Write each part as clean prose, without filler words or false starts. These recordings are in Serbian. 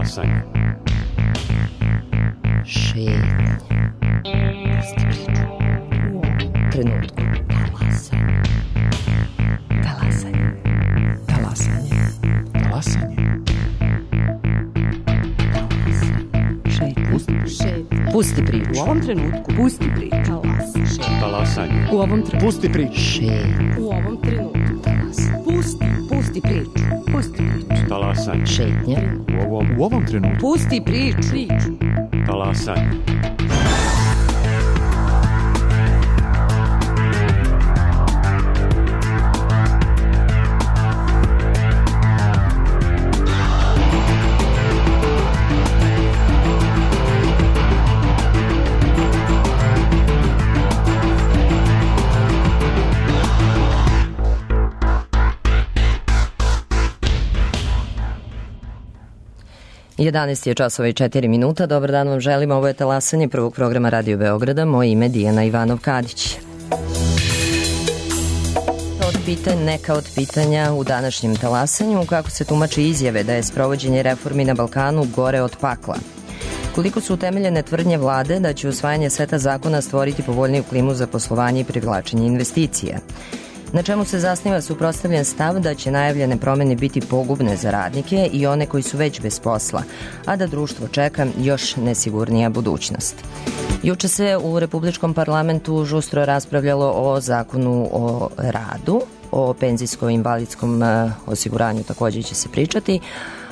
Talasanje. Šetnje. Trenutku. Talasanje. Talasanje. Talasanje. Pusti priču. U ovom trenutku. Pusti priču. Talasanje. U ovom trenutku. Pusti priču. Šetnje. U ovom trenutku. Pusti priču. Pusti priču. Talasanje. Šetnje. U ovom trenutku. Pusti priču. Talasanje. Jedanaest je časova i 4 minuta. Dobar dan vam želim. Ovo je Talasanje prvog programa Radio Beograda. Moje ime je Dijana Ivanov-Kadić. Neka od pitanja u današnjem Talasanju, kako se tumači izjave da je sprovođenje reformi na Balkanu gore od pakla. Koliko su utemeljene tvrdnje vlade da će usvajanje seta zakona stvoriti povoljniju klimu za poslovanje i privlačenje investicija. Na čemu se zasniva suprotstavljen stav da će najavljene promene biti pogubne za radnike i one koji su već bez posla, a da društvo čeka još nesigurnija budućnost. Juče se u Republičkom parlamentu žustro raspravljalo o zakonu o radu, o penzijsko-invalidskom osiguranju takođe će se pričati,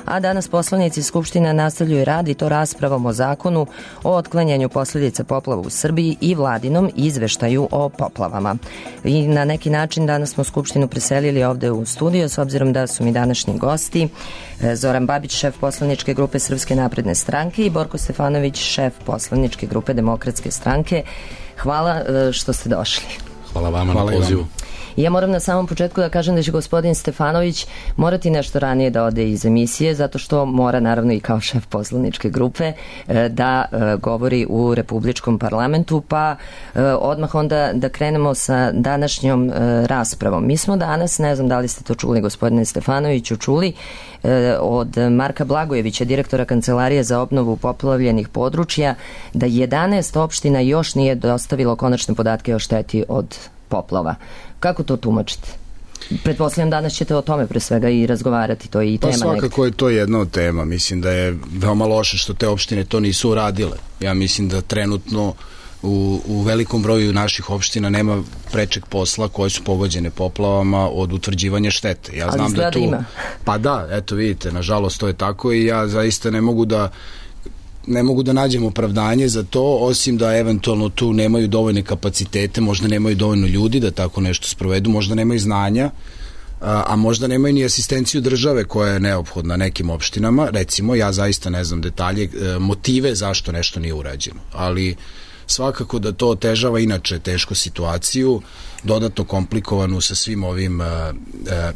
a danas poslanici Skupštine nastavljaju rad i to raspravom o zakonu o otklanjanju posledica poplava u Srbiji i vladinom izveštaju o poplavama. I na neki način danas smo Skupštinu preselili ovde u studio, s obzirom da su mi današnji gosti Zoran Babić, šef poslaničke grupe Srpske napredne stranke i Borko Stefanović, šef poslaničke grupe Demokratske stranke. Hvala što ste došli. Hvala vama na pozivu. Ja moram na samom početku da kažem da će gospodin Stefanović morati nešto ranije da ode iz emisije, zato što mora naravno i kao šef poslaničke grupe da govori u Republičkom parlamentu, pa odmah onda da krenemo sa današnjom raspravom. Mi smo danas, ne znam da li ste to čuli gospodine Stefanoviću, čuli od Marka Blagojevića, direktora Kancelarije za obnovu poplavljenih područja, da 11 opština još nije dostavilo konačne podatke o šteti od poplava. Kako to tumačite? Pretpostavljam danas ćete o tome pre svega i razgovarati, to je i tema. Pa svakako je to jedna od tema. Mislim da je veoma loše što te opštine to nisu uradile. Ja mislim da trenutno u velikom broju naših opština nema prečeg posla koje su pogođene poplavama od utvrđivanja štete. Ja znam da tu ima. Pa da, eto vidite, nažalost to je tako i ja zaista ne mogu da nađem opravdanje za to, osim da eventualno tu nemaju dovoljne kapacitete, možda nemaju dovoljno ljudi da tako nešto sprovedu, možda nemaju znanja, a možda nemaju ni asistenciju države koja je neophodna nekim opštinama. Recimo, ja zaista ne znam detalje, motive zašto nešto nije urađeno, ali svakako da to otežava inače tešku situaciju, dodatno komplikovanu sa svim ovim,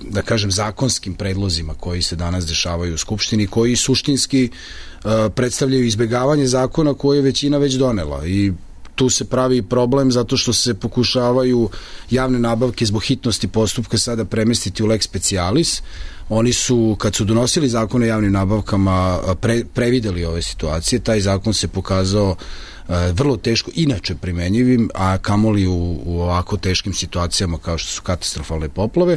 da kažem, zakonskim predlozima koji se danas dešavaju u Skupštini, koji suštinski predstavljaju izbegavanje zakona koje je većina već donela i tu se pravi problem zato što se pokušavaju javne nabavke zbog hitnosti postupka sada premestiti u lex specialis. Oni su, kad su donosili zakon o javnim nabavkama, prevideli ove situacije. Taj zakon se pokazao vrlo teško inače primenjivim, a kamoli u ovako teškim situacijama kao što su katastrofalne poplave.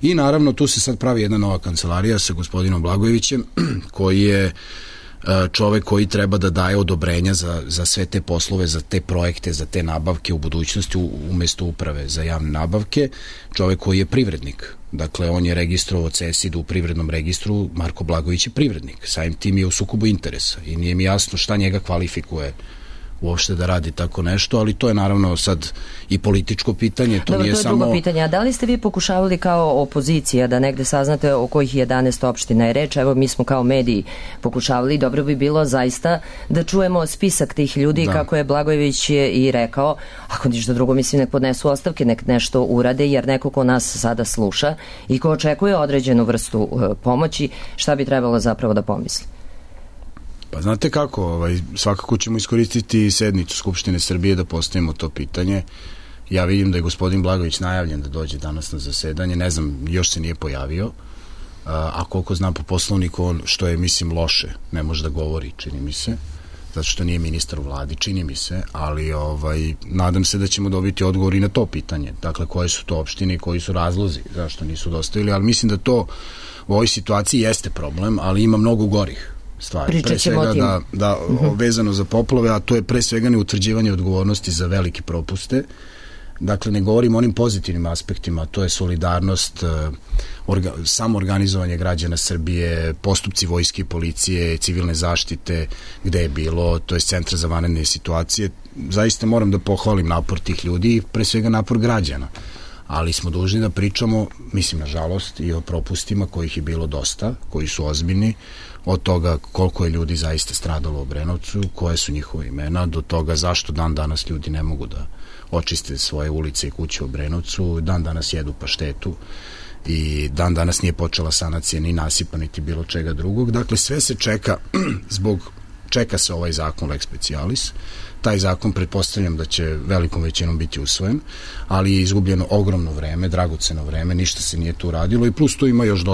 I naravno tu se sad pravi jedna nova kancelarija sa gospodinom Blagojevićem, koji je čovek koji treba da daje odobrenja za sve te poslove, za te projekte, za te nabavke u budućnosti umesto uprave za javne nabavke, čovek koji je privrednik. Dakle, on je registrovao CESID u privrednom registru, Marko Blagojević je privrednik, samim tim je u sukobu interesa i nije mi jasno šta njega kvalifikuje uopšte da radi tako nešto, ali to je naravno sad i političko pitanje. To je drugo pitanje. A da li ste vi pokušavali kao opozicija da negde saznate o kojih 11 opština je reč? Evo, mi smo kao mediji pokušavali, dobro bi bilo zaista da čujemo spisak tih ljudi, kako je Blagojević i rekao, ako ništa drugo, mislim, nek podnesu ostavke, nek nešto urade, jer neko ko nas sada sluša i ko očekuje određenu vrstu pomoći, šta bi trebalo zapravo da pomisli? Pa znate kako, svakako ćemo iskoristiti sednicu Skupštine Srbije da postavimo to pitanje. Ja vidim da je gospodin Blagojević najavljen da dođe danas na zasedanje, ne znam, još se nije pojavio. a koliko znam po poslovniku, on, što je, mislim, loše, ne može da govori, čini mi se, zato što nije ministar u vladi, čini mi se, ali nadam se da ćemo dobiti odgovor i na to pitanje. Dakle, koje su to opštine i koji su razlozi zašto nisu dostavili, ali mislim da to u ovoj situaciji jeste problem, ali ima mnogo gorih stvari. Pre svega vezano za poplave, a to je pre svega neutvrđivanje odgovornosti za velike propuste. Dakle, ne govorim o onim pozitivnim aspektima, to je solidarnost, samoorganizovanje građana Srbije, postupci vojske i policije, civilne zaštite, gde je bilo, to je centra za vanredne situacije. Zaista moram da pohvalim napor tih ljudi i pre svega napor građana. Ali smo dužni da pričamo, mislim, nažalost, i o propustima kojih je bilo dosta, koji su ozbiljni, od toga koliko je ljudi zaista stradalo u Obrenovcu, koje su njihove imena, do toga zašto dan danas ljudi ne mogu da očiste svoje ulice i kuće u Obrenovcu, dan danas jedu paštetu i dan danas nije počela sanacija ni nasipa, niti bilo čega drugog. Dakle, sve se čeka, čeka se ovaj zakon Lex Specialis. Taj zakon pretpostavljam da će velikom većinom biti usvojen, ali je izgubljeno ogromno vreme, dragoceno vreme, ništa se nije tu radilo i plus tu ima još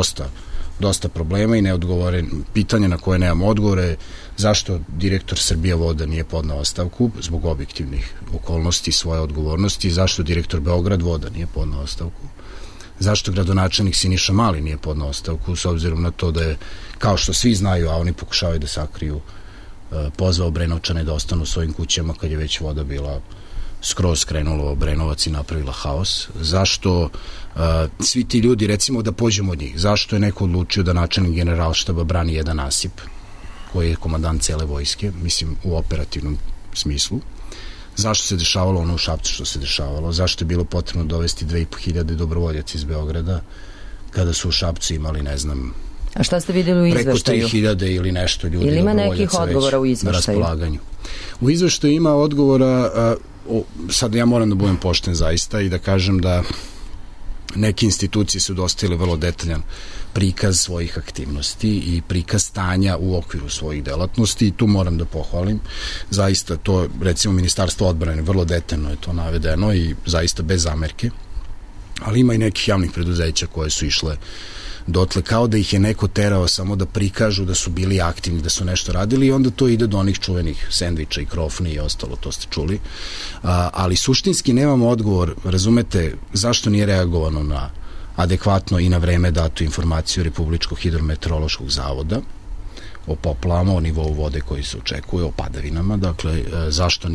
dosta problema i neodgovoren pitanja na koje nemamo odgovore. Zašto direktor Srbija voda nije podnao ostavku zbog objektivnih okolnosti svoje odgovornosti, zašto direktor Beograd voda nije podnao ostavku, zašto gradonačelnik Siniša Mali nije podnao ostavku, s obzirom na to da je, kao što svi znaju, a oni pokušavaju da sakriju, pozvao Obrenovčane da ostanu u svojim kućama kad je već voda bila skroz krenula u Obrenovac i napravila haos. Zašto svi ti ljudi, recimo da pođemo od njih, zašto je neko odlučio da načelnik Generalštaba brani jedan nasip koji je komandant cele vojske, mislim u operativnom smislu? Zašto se dešavalo ono u Šapcu što se dešavalo? Zašto je bilo potrebno dovesti 2500 dobrovoljaca iz Beograda kada su u Šapcu imali, ne znam, a šta ste vidjeli u izveštaju? Preko 3000 ili nešto ljudi ili ima nekih odgovora u izveštaju? Na raspolaganju. U izveštaju ima odgovora, sad ja moram da budem pošten zaista i da kažem da neke institucije su dostavile vrlo detaljan prikaz svojih aktivnosti i prikaz stanja u okviru svojih delatnosti i tu moram da pohvalim. Zaista to, recimo, Ministarstvo odbrane, vrlo detaljno je to navedeno i zaista bez zamerke, ali ima i nekih javnih preduzeća koje su išle dotle kao da ih je neko terao samo da prikažu da su bili aktivni, da su nešto radili i onda to ide do onih čuvenih sendviča i krofni i ostalo, to ste čuli. Ali suštinski nemamo odgovor, razumete, zašto nije reagovano na adekvatno i na vreme datu informaciju Republičkog hidrometeorološkog zavoda o poplavama, o nivou vode koji se očekuje, o padavinama, dakle, zašto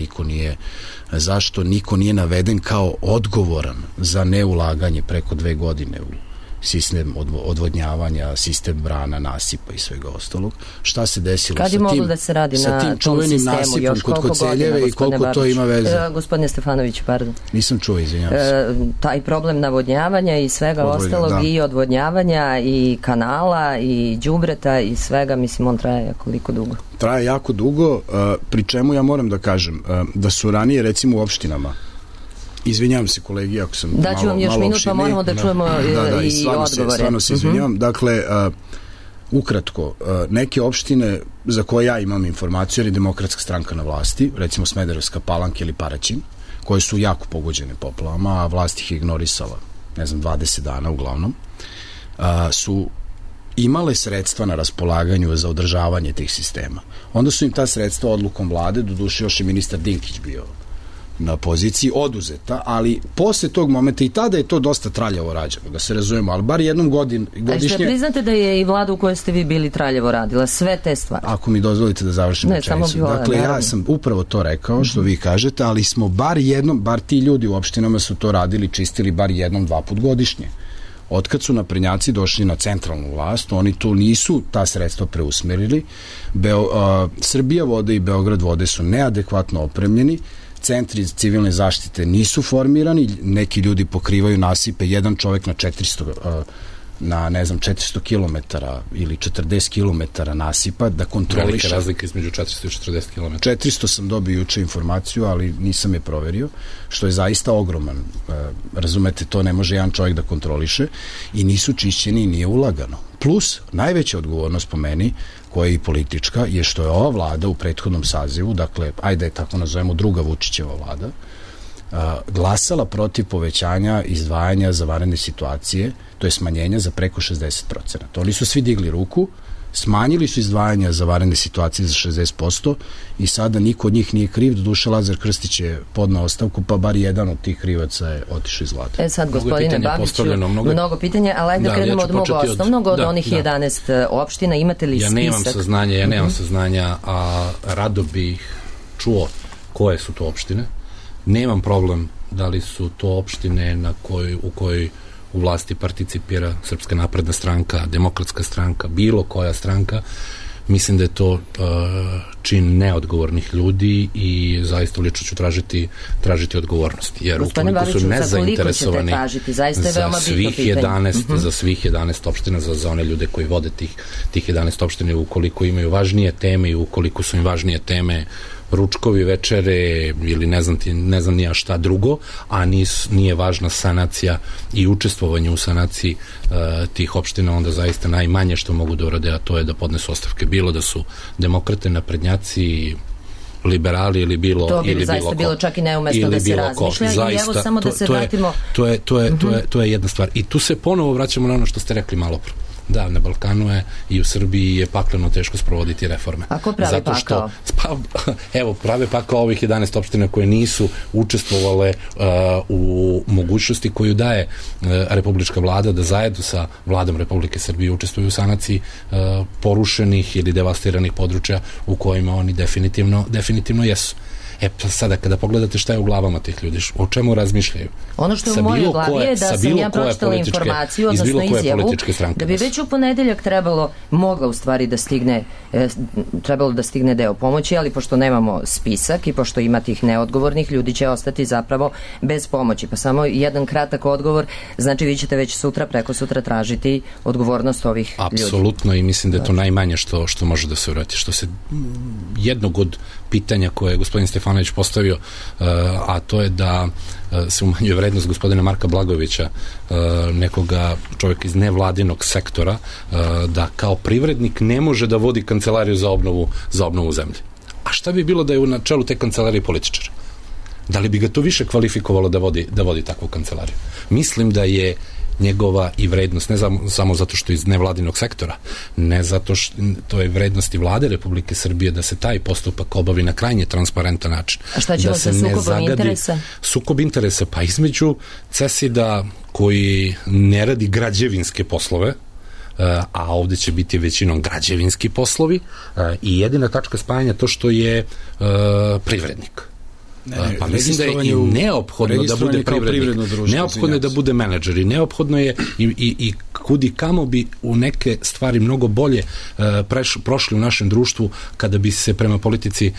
niko nije naveden kao odgovoran za neulaganje preko 2 godine u sistem odvodnjavanja, sistem brana, nasipa i svega ostalog. Šta se desilo kad je moglo da se radi sa tim čuvenim nasipom još kod Koceljeve i koliko to ima veze? Gospodine Stefanović, pardon. Nisam čuo, izvinjavam se. Taj problem navodnjavanja i svega ostalog i odvodnjavanja i kanala i đubreta i svega, mislim, on traje koliko dugo? Traje jako dugo, pri čemu ja moram da kažem da su ranije, recimo, u opštinama, izvinjavam se kolegi ako sam malo daću vam još minut pa moramo da čujemo i odgovore. Stvarno se izvinjavam. Dakle, ukratko, neke opštine za koje ja imam informaciju, jer je Demokratska stranka na vlasti, recimo Smederevska Palanka ili Paraćin, koje su jako pogođene poplavama, a vlast ih je ignorisala, ne znam, 20 dana uglavnom, su imale sredstva na raspolaganju za održavanje tih sistema. Onda su im ta sredstva odlukom vlade, doduše još je ministar Dinkić bio na poziciji, oduzeta, ali posle tog momenta i tada je to dosta traljavo rađeno, da se razumemo, ali bar jednom godišnje... A što priznate da je i vlada u kojoj ste vi bili traljavo radila sve te stvari? Ako mi dozvolite da završim rečenicu. Dakle, ja sam upravo to rekao, što vi kažete, ali smo bar ti ljudi u opštinama su to radili, čistili bar 1-2 put godišnje. Otkad su naprednjaci došli na centralnu vlast, oni tu nisu ta sredstva preusmerili. Srbija vode i Beograd vode su neadekvatno opremljeni, centri civilne zaštite nisu formirani, neki ljudi pokrivaju nasipe, jedan čovek na 400 km ili 40 km nasipa da kontroliše. Velika razlika između 400 i 40 km. 400 sam dobio juče informaciju, ali nisam je proverio, što je zaista ogroman. Razumete, to ne može jedan čovjek da kontroliše i nisu čišćeni i nije ulagano. Plus, najveća odgovornost po meni, koja je i politička, je što je ova vlada u prethodnom sazivu, dakle, ajde je tako nazovemo druga Vučićeva vlada, glasala protiv povećanja izdvajanja za vanredne situacije, to je smanjenja za preko 60%. Oni su svi digli ruku, smanjili su izdvajanja za vanredne situacije za 60% i sada niko od njih nije kriv. Doduše Lazar Krstić je podnao ostavku, pa bar jedan od tih krivaca je otišao iz vlade. Sad, gospodine Babiću, mnogo pitanja, ali ajde da krenemo od mog osnovnog, od onih 11 opština. Imate li spisak? Ja nemam saznanja, a rado bih čuo koje su to opštine. Nemam problem da li su to opštine u kojoj u vlasti participira Srpska napredna stranka, Demokratska stranka, bilo koja stranka. Mislim da je to čin neodgovornih ljudi i zaista lično ću tražiti odgovornost. Jer ukoliko su nezainteresovani za svih 11 opština, za one ljude koji vode tih 11 opština, ukoliko imaju važnije teme i ukoliko su im važnije teme ručkovi, večere ili ne znam nija šta drugo, a nije važna sanacija i učestvovanje u sanaciji tih opština, onda zaista najmanje što mogu da urade, a to je da podnesu ostavke. Bilo da su demokrate, naprednjaci, liberali ili bilo ko. To bi zaista bilo čak i neumestno da se razmišlja. I evo samo da se vratimo. To je jedna stvar. I tu se ponovo vraćamo na ono što ste rekli malo pre. Da, na Balkanu je i u Srbiji je pakleno teško sprovoditi reforme. A ko pravi pakao? Evo, prave pakao ovih 11 opština koje nisu učestvovale u mogućnosti koju daje republička vlada da zajedno sa vladom Republike Srbije učestvuju u sanaciji porušenih ili devastiranih područja u kojima oni definitivno jesu. Sada kada pogledate šta je u glavama tih ljudi, o čemu razmišljaju. Ono što je u mojoj glavi je da sam ja pročitala informaciju, odnosno izjavu, da bi već u ponedeljak trebalo da stigne deo pomoći, ali pošto nemamo spisak i pošto ima tih neodgovornih, ljudi će ostati zapravo bez pomoći. Pa samo jedan kratak odgovor, znači vi ćete već preko sutra tražiti odgovornost ovih ljudi. Apsolutno, i mislim da je to najmanje što može da se uradi. Što se jednog od pitanja koje je gospodin Stefanović postavio, a to je da se umanjuje vrednost gospodina Marka Blagojevića, nekoga čovjeka iz nevladinog sektora, da kao privrednik ne može da vodi kancelariju za obnovu zemlje. A šta bi bilo da je na čelu te kancelarije političar? Da li bi ga to više kvalifikovalo da vodi takvu kancelariju? Mislim da je njegova i vrednost, ne samo zato što je iz nevladinog sektora, ne zato što to je vrednost i vlade Republike Srbije da se taj postupak obavi na krajnje transparentan način. A šta ćemo sa sukobom interesa? Sukob interesa, pa između CESID-a koji ne radi građevinske poslove, a ovde će biti većinom građevinski poslovi, i jedina tačka spajanja to što je privrednik. Pa mislim da je i neophodno da bude privrednik, neophodno je da bude menadžer i neophodno je i kudi kamo bi u neke stvari mnogo bolje prošli u našem društvu kada bi se prema politici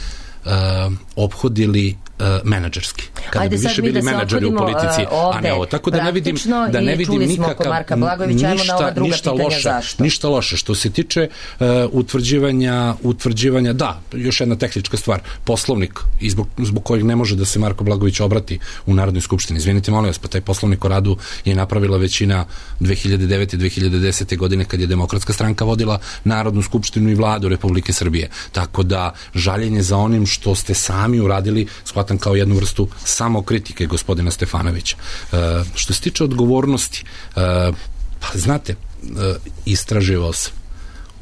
ophodili menadžerski. Kada bi više bili menadžeri u politici, a ne ovo. Tako da ne vidim nikakav ništa loše. Što se tiče utvrđivanja, da, još jedna tehnička stvar, poslovnik zbog kojeg ne može da se Marko Blagojević obrati u Narodnoj skupštini. Izvinite, molim vas, pa taj poslovnik o radu je napravila većina 2009. 2010. godine kad je Demokratska stranka vodila Narodnu skupštinu i vladu Republike Srbije. Tako da žaljenje za onim što ste sami uradili shvatam kao jednu vrstu samokritike gospodina Stefanovića. Što se tiče odgovornosti, pa znate, istraživao sam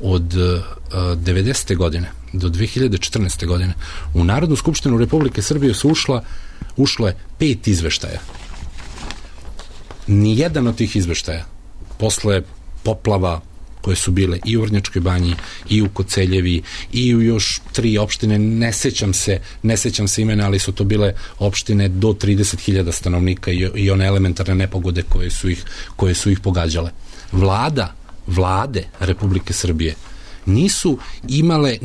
od 90. godine do 2014. godine u Narodnu skupštinu Republike Srbije su ušlo je 5 izveštaja. Nijedan od tih izveštaja posle poplava koje su bile i u Vrnjačkoj banji, i u Koceljevi, i u još 3 opštine, ne sećam se imena, ali su to bile opštine do 30.000 stanovnika i one elementarne nepogode koje su ih pogađale. Vlade Republike Srbije nisu imale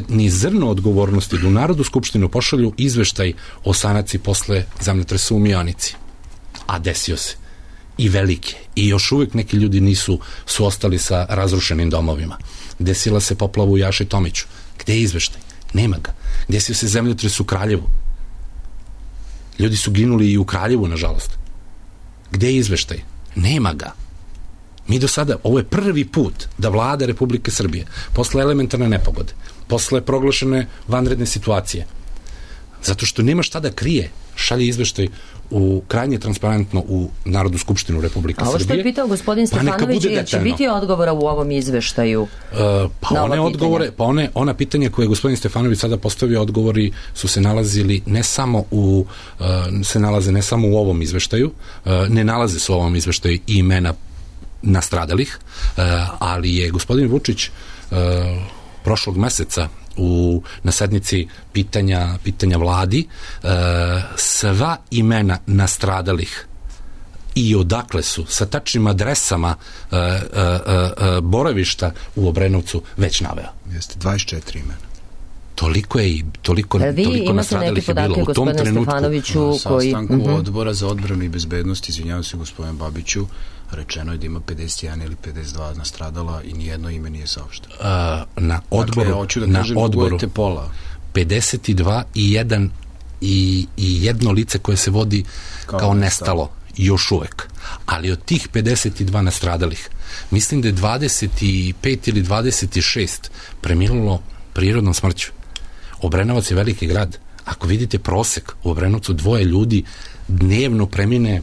ni zrno odgovornosti da u Narodnu skupštinu pošalju izveštaj o sanaciji posle zemljotresa u Mionici. A desio se. I velike. I još uvek neki ljudi su ostali sa razrušenim domovima. Desila se poplava u Jaši Tomiću. Gde je izveštaj? Nema ga. Desio se zemljotres u Kraljevu. Ljudi su ginuli i u Kraljevu, nažalost. Gde je izveštaj? Nema ga. Mi do sada, ovo je prvi put da vlada Republike Srbije, posle elementarne nepogode, posle proglašene vanredne situacije, zato što nema šta da krije, šalje izveštaj u krajnje transparentno u Narodnu skupštinu Republike Srbije. A ovo što je pitao gospodin Stefanović, će biti odgovora u ovom izveštaju? Ona pitanja koje je gospodin Stefanović sada postavio, odgovori su se nalazili ne samo u ovom izveštaju, ne nalaze se u ovom izveštaju i imena nastradalih, ali je gospodin Vučić prošlog meseca na sednici pitanja vladi sva imena nastradalih i odakle su sa tačnim adresama boravišta u Obrenovcu već naveo. Jeste 24 imena. Toliko nastradalih je bilo u tom trenutku. Na sastanku odbora za odbranu i bezbednost, izvinjavam se gospodin Babiću, rečeno je da ima 51 ili 52 nastradala i nijedno ime nije saopšteno. Na odboru, hoću da kažem, dugujete pola. 52 i jedno lice koje se vodi kao nestalo još uvek. Ali od tih 52 nastradalih, mislim da je 25 ili 26 preminulo prirodnom smrću. Obrenovac je veliki grad. Ako vidite prosek u Obrenovcu, 2 ljudi dnevno premine,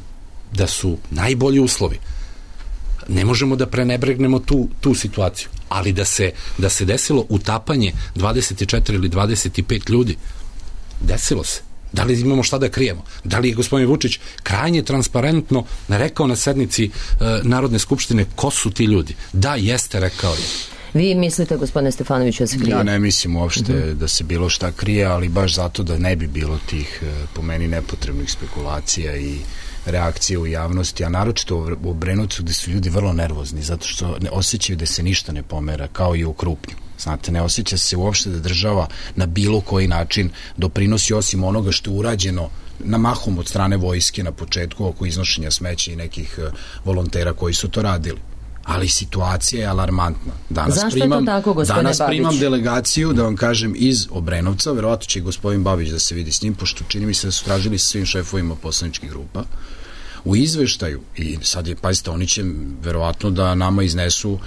da su najbolji uslovi. Ne možemo da prenebregnemo tu situaciju, ali da se desilo utapanje 24 ili 25 ljudi, desilo se. Da li imamo šta da krijemo? Da li je gospodin Vučić krajnje transparentno rekao na sednici Narodne skupštine ko su ti ljudi? Da, jeste, rekao je. Vi mislite, gospodine Stefanoviću, da se krije? Ja ne mislim uopšte da se bilo šta krije, ali baš zato da ne bi bilo tih, po meni, nepotrebnih spekulacija i reakcije u javnosti, a naročito u Obrenovcu gde su ljudi vrlo nervozni, zato što ne osjećaju da se ništa ne pomera, kao i u Krupnju. Znate, ne osjeća se uopšte da država na bilo koji način doprinosi osim onoga što je urađeno na mahom od strane vojske na početku oko iznošenja smeća i nekih volontera koji su to radili. Ali situacija je alarmantna. Zašto je to tako, gospodine Babić? Danas primam delegaciju, da vam kažem, iz Obrenovca, verovatno će i gospodin Babić da se vidi s njim, pošto čini mi se da su tražili sa svim šefovima poslaničkih grupa. U izveštaju, i sad je, pazite, oni će verovatno da nama iznesu,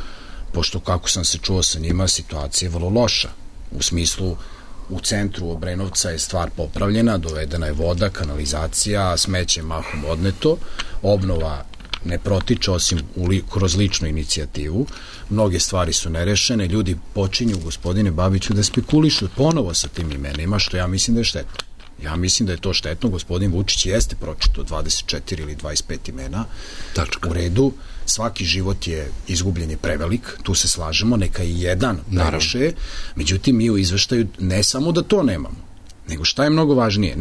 pošto kako sam se čuo sa njima, situacija je vrlo loša. U smislu, u centru Obrenovca je stvar popravljena, dovedena je voda, kanalizacija, smeće mahom odneto, obnova ne protiče osim kroz ličnu inicijativu, mnoge stvari su nerešene, ljudi počinju, gospodine Babiću, da spekulišu ponovo sa tim imenima, što ja mislim da je štetno. Ja mislim da je to štetno, gospodin Vučić jeste pročito 24 ili 25 imena. U redu, svaki život je izgubljen i prevelik, tu se slažemo, neka i jedan previše, međutim mi u izveštaju ne samo da to nemamo, nego šta je mnogo važnije,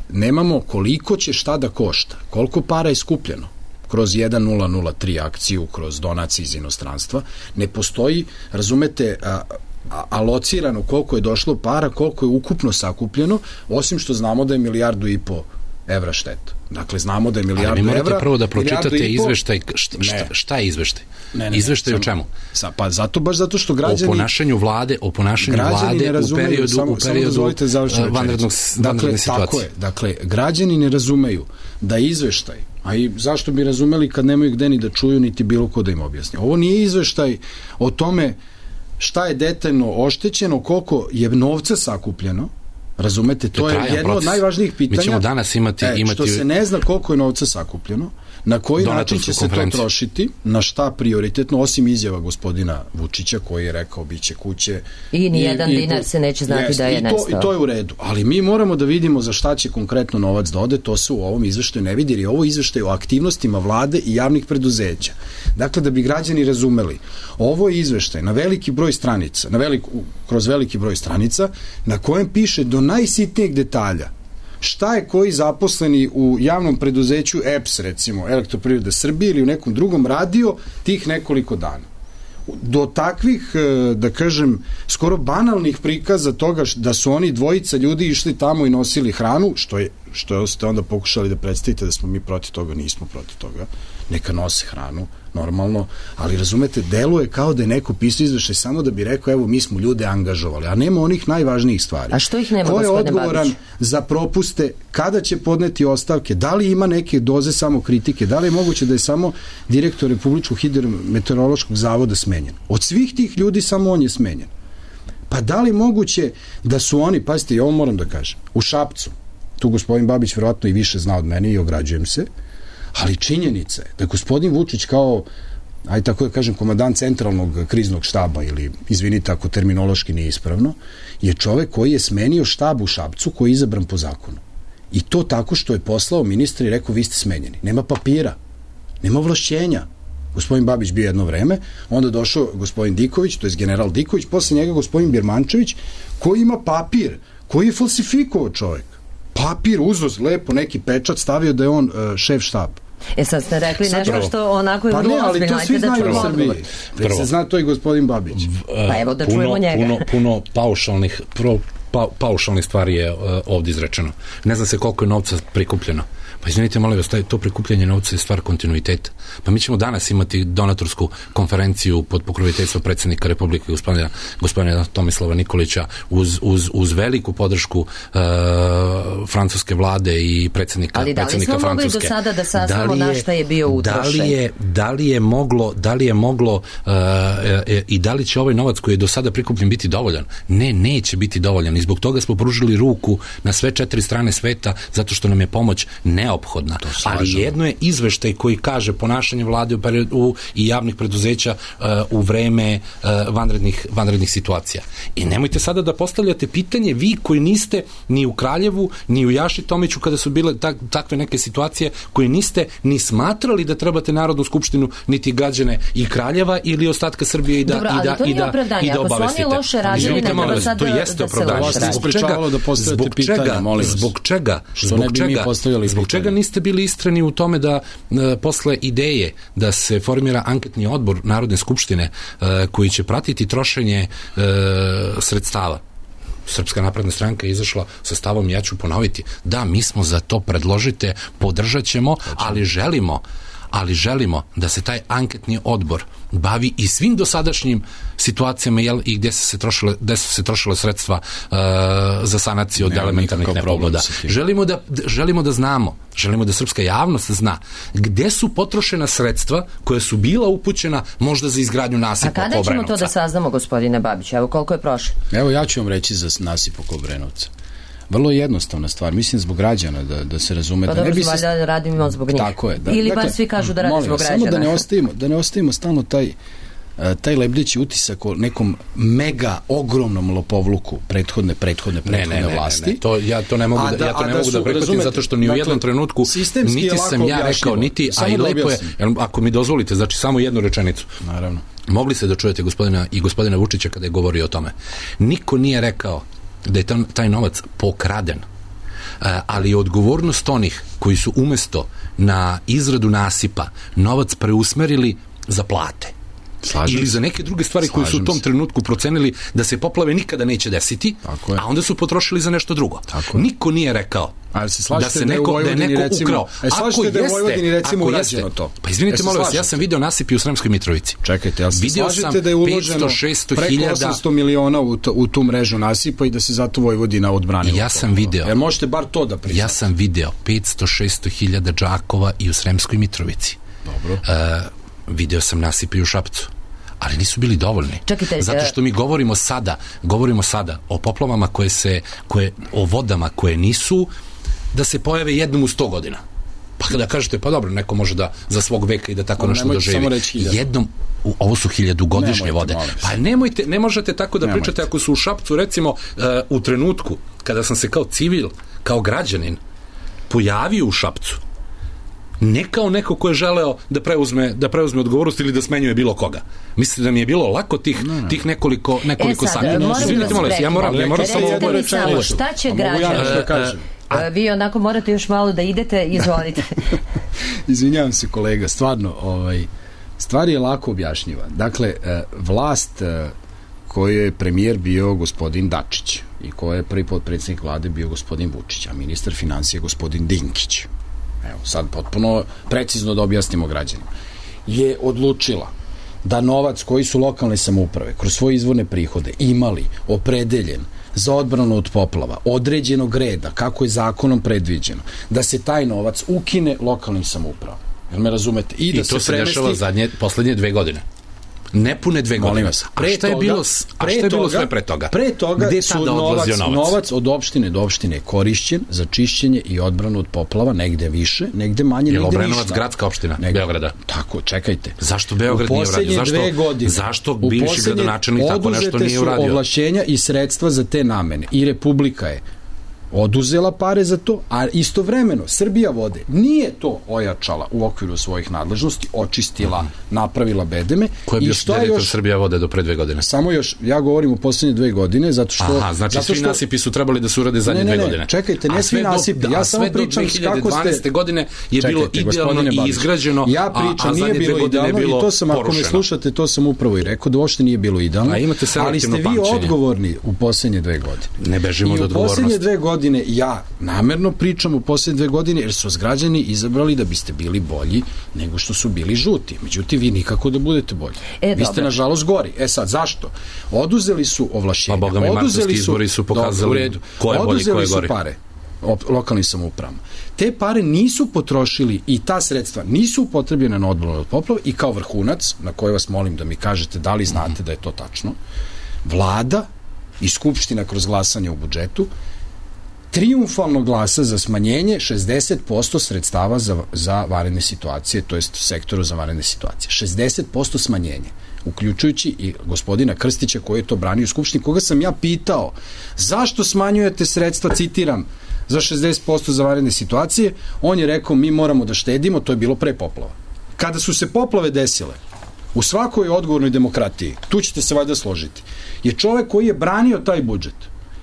nemamo koliko će šta da košta, koliko para je skupljeno kroz 1003 akciju, kroz donacije iz inostranstva, ne postoji, razumete, alocirano koliko je došlo para, koliko je ukupno sakupljeno, osim što znamo da je 1,5 milijardu evra šteta. Dakle, znamo da je 1 milijardu evra. Ali morate prvo da pročitate izveštaj. Šta je izveštaj? Izveštaj o čemu? Pa baš zato što građani... O ponašanju vlade u periodu vanredne situacije. Tako je. Dakle, građani ne razumeju da izveštaj, a i zašto bi razumeli kad nemaju gde ni da čuju, niti bilo ko da im objasni. Ovo nije izveštaj o tome šta je detaljno oštećeno, koliko je novca sakupljeno, razumete, to je jedno od najvažnijih pitanja. Mi ćemo danas imati... Što se ne zna koliko je novca sakupljeno, na koji način će se to trošiti, na šta prioritetno, osim izjava gospodina Vučića koji je rekao biće kuće. I nijedan dinar se neće znati da je nestao. I to je u redu. Ali mi moramo da vidimo za šta će konkretno novac da ode, to se u ovom izveštaju ne vidi, jer je ovo izveštaj o aktivnostima vlade i javnih preduzeća. Dakle, da bi građani razumeli, ovo je izveštaj na veliki broj stranica, kroz veliki broj stranica, na kojem piše do najsitnijeg detalja šta je koji zaposleni u javnom preduzeću EPS, recimo, Elektroprivreda Srbije ili u nekom drugom radio tih nekoliko dana. Do takvih, da kažem, skoro banalnih prikaza toga da su oni dvojica ljudi išli tamo i nosili hranu, što ste onda pokušali da predstavite da smo mi protiv toga, nismo protiv toga, neka nose hranu, normalno, ali razumete, deluje kao da je neko pisao izveštaj samo da bi rekao, evo, mi smo ljude angažovali, a nema onih najvažnijih stvari. A što ih nema, gospodine Babić? Ko je odgovoran za propuste, kada će podneti ostavke, da li ima neke doze samo kritike, da li je moguće da je samo direktor Republičkog hidrometeorološkog zavoda smenjen? Od svih tih ljudi samo on je smenjen. Pa da li moguće da su oni, pazite, i ovo moram da kažem, u Šapcu, tu gospodin Babić verovatno i više zna od mene i ograđujem se, ali činjenica je da gospodin Vučić kao, ajde tako da kažem, komandant centralnog kriznog štaba, ili izvinite ako terminološki nije ispravno, je čovek koji je smenio štab u Šapcu koji je izabran po zakonu. I to tako što je poslao ministra i rekao vi ste smenjeni. Nema papira, nema ovlašćenja. Gospodin Babić bio jedno vreme, onda došao gospodin Diković, to je general Diković, posle njega gospodin Birmančević, koji ima papir, koji je falsifikovao čovek. Papir, uzoz, lepo, neki pečat, stavio da je on šef štaba. Sad ste rekli nešto što onako je vrlo ozbiljno. Pa ne, ali to svi znaju u Srbiji. Već se zna to i gospodin Babić. Pa evo da čujemo njega. Puno paušalnih stvari je ovdje izrečeno. Ne zna se koliko je novca prikupljeno. Pa izvinite, molim vas, to prikupljanje novca je stvar kontinuiteta. Pa mi ćemo danas imati donatorsku konferenciju pod pokroviteljstvom predsjednika Republike gospodina Tomislava Nikolića uz veliku podršku francuske vlade i predsjednika Francuske. Ali da li smo mogli do sada da saznamo na šta je bio utrošen? Da li je moglo i da li će ovaj novac koji je do sada prikupljen biti dovoljan? Ne, neće biti dovoljan i zbog toga smo pružili ruku na sve 4 strane sveta zato što nam je pomoć neophodna. Ali jedno je izveštaj koji kaže ponašanje vlade i javnih preduzeća u vreme vanrednih situacija. I nemojte sada da postavljate pitanje vi koji niste ni u Kraljevu, ni u Jaši Tomiću kada su bile takve neke situacije, koji niste ni smatrali da trebate Narodnu skupštinu, niti građane i Kraljeva ili ostatka Srbije i da obavestite. Ako su oni loše radili, nego da sad da se loše radi. Zbog čega niste bili istreni u tome da posle ideje da se formira anketni odbor Narodne skupštine koji će pratiti trošenje sredstava? Srpska napredna stranka je izašla sa stavom, ja ću ponoviti, da, mi smo za to, predložite, podržat ćemo, ali želimo da se taj anketni odbor bavi i svim dosadašnjim situacijama i gde su se trošile sredstva za sanaciju od elementarnih nepogoda. Želimo da znamo, želimo da srpska javnost zna gde su potrošena sredstva koja su bila upućena možda za izgradnju nasipa oko Obrenovca. A kada ćemo to da saznamo, gospodine Babić? Evo koliko je prošlo? Evo ja ću vam reći za nasip oko Obrenovca. Vrlo jednostavna stvar, mislim zbog građana da se razume. Pa dobro, valjda radimo zbog njih. Tako je. Ili bar svi kažu da radi zbog građana. Samo da ne ostavimo stalno taj lebdeći utisak o nekom mega ogromnom lopovluku prethodne vlasti. Ne. Ja to ne mogu da prihvatim zato što ni u jednom trenutku niti sam ja rekao, niti, a i lepo je, ako mi dozvolite, znači samo jednu rečenicu. Naravno. Mogli ste da čujete gospodina Vučića kada je govorio o tome. Niko nije rekao da je taj novac pokraden, ali je odgovornost onih koji su umesto na izradu nasipa novac preusmerili za plate. Ili za neke druge stvari koje su u tom trenutku procenili da se poplave nikada neće desiti, a onda su potrošili za nešto drugo. Niko nije rekao da se neko ukrao. Slažete da je u Vojvodini recimo urađeno to? Pa izvinite, molim vas, ja sam video nasipi u Sremskoj Mitrovici. Čekajte, slažete da je uloženo preko 800 miliona u tu mrežu nasipa i da se zato Vojvodina odbranila? Ja sam video. Možete bar to da priznate. Ja sam video 500-600 hiljada džakova i u Sremskoj Mitrovici. Dobro. Video sam nasipe i u Šapcu, ali nisu bili dovoljni. Čekajte, zato što mi govorimo sada o poplavama o vodama koje nisu da se pojave jednom u 100 godina. Pa kada kažete, pa dobro, neko može da za svog veka i da tako nešto doživi. Jednom, ovo su 1000-godišnje vode. Pa ne možete tako da pričate ako su u Šapcu, recimo, u trenutku kada sam se kao civil, kao građanin pojavio u Šapcu, ne kao neko ko je želeo da preuzme odgovornost ili da smenjuje bilo koga. Mislite da mi je bilo lako tih nekoliko sati? Izvinite, molim, ja moram samo ovo reći. Šta će građani? Vi onako morate još malo da idete, izvolite. Izvinjavam se kolega, stvarno, stvar je lako objašnjiva. Dakle, vlast koju je premijer bio gospodin Dačić i koji je prvi potpredsjednik vlade bio gospodin Vučić, a ministar financija gospodin Dinkić, evo sad potpuno precizno da objasnimo građanima, je odlučila da novac koji su lokalne samouprave kroz svoje izvorne prihode imali opredeljen za odbranu od poplava, određenog reda, kako je zakonom predviđeno, da se taj novac ukine lokalnim samoupravama. Jel me razumete? I to se dešava poslednje 2 godine. nepune 2 godine. A šta je bilo sve pre toga? Pre toga gde su novac od opštine do opštine korišćen za čišćenje i odbranu od poplava, negde više, negde manje, negde ništa. Je Obrenovac gradska opština Beograda? Tako, čekajte. Zašto Beograd nije uradio? Zašto bivši gradonačelnik tako nešto nije uradio? Oduzete su ovlašćenja i sredstva za te namene i Republika je oduzela pare za to, a istovremeno Srbija vode nije to ojačala u okviru svojih nadležnosti, očistila, napravila bedeme. Ko je bio direktor Srbija vode do pre 2 godine? Samo još, ja govorim u poslednje 2 godine, zato što... Aha, znači svi nasipi su trebali da se urade zadnje 2 godine. Čekajte, ne svi nasipi, ja samo pričam kako ste... 2012. godine je bilo idealno i izgrađeno, a zadnje 2 godine je bilo porušeno. Ako me slušate, to sam upravo i rekao, da uopšte nije bilo idealno, ali ste vi odgovorni u poslednje 2 godine. Ne bežimo od odgovornosti. Ja namerno pričam u posljednje 2 godine jer su vas građani izabrali da biste bili bolji nego što su bili žuti. Međutim, vi nikako da budete bolji. Vi ste nažalost gori. Sad, zašto? Oduzeli su ovlašćenja. Pa boga mi, martovski izbori su pokazali ko je bolji, ko je gori. Oduzeli su pare lokalnim samoupravama. Te pare nisu potrošili i ta sredstva nisu upotrebljene na odbranu od poplava i kao vrhunac, na koji vas molim da mi kažete da li znate da je to tačno, Vlada i Skupština kroz glasanje u budžetu trijumfalno glasa za smanjenje 60% sredstava za vanredne situacije, to jest sektoru za vanredne situacije. 60% smanjenje, uključujući i gospodina Krstića koji je to branio u Skupštini, koga sam ja pitao zašto smanjujete sredstva, citiram, za 60% za vanredne situacije, on je rekao mi moramo da štedimo, to je bilo pre poplava. Kada su se poplave desile, u svakoj odgovornoj demokratiji, tu ćete se valjda složiti, je čovek koji je branio taj budžet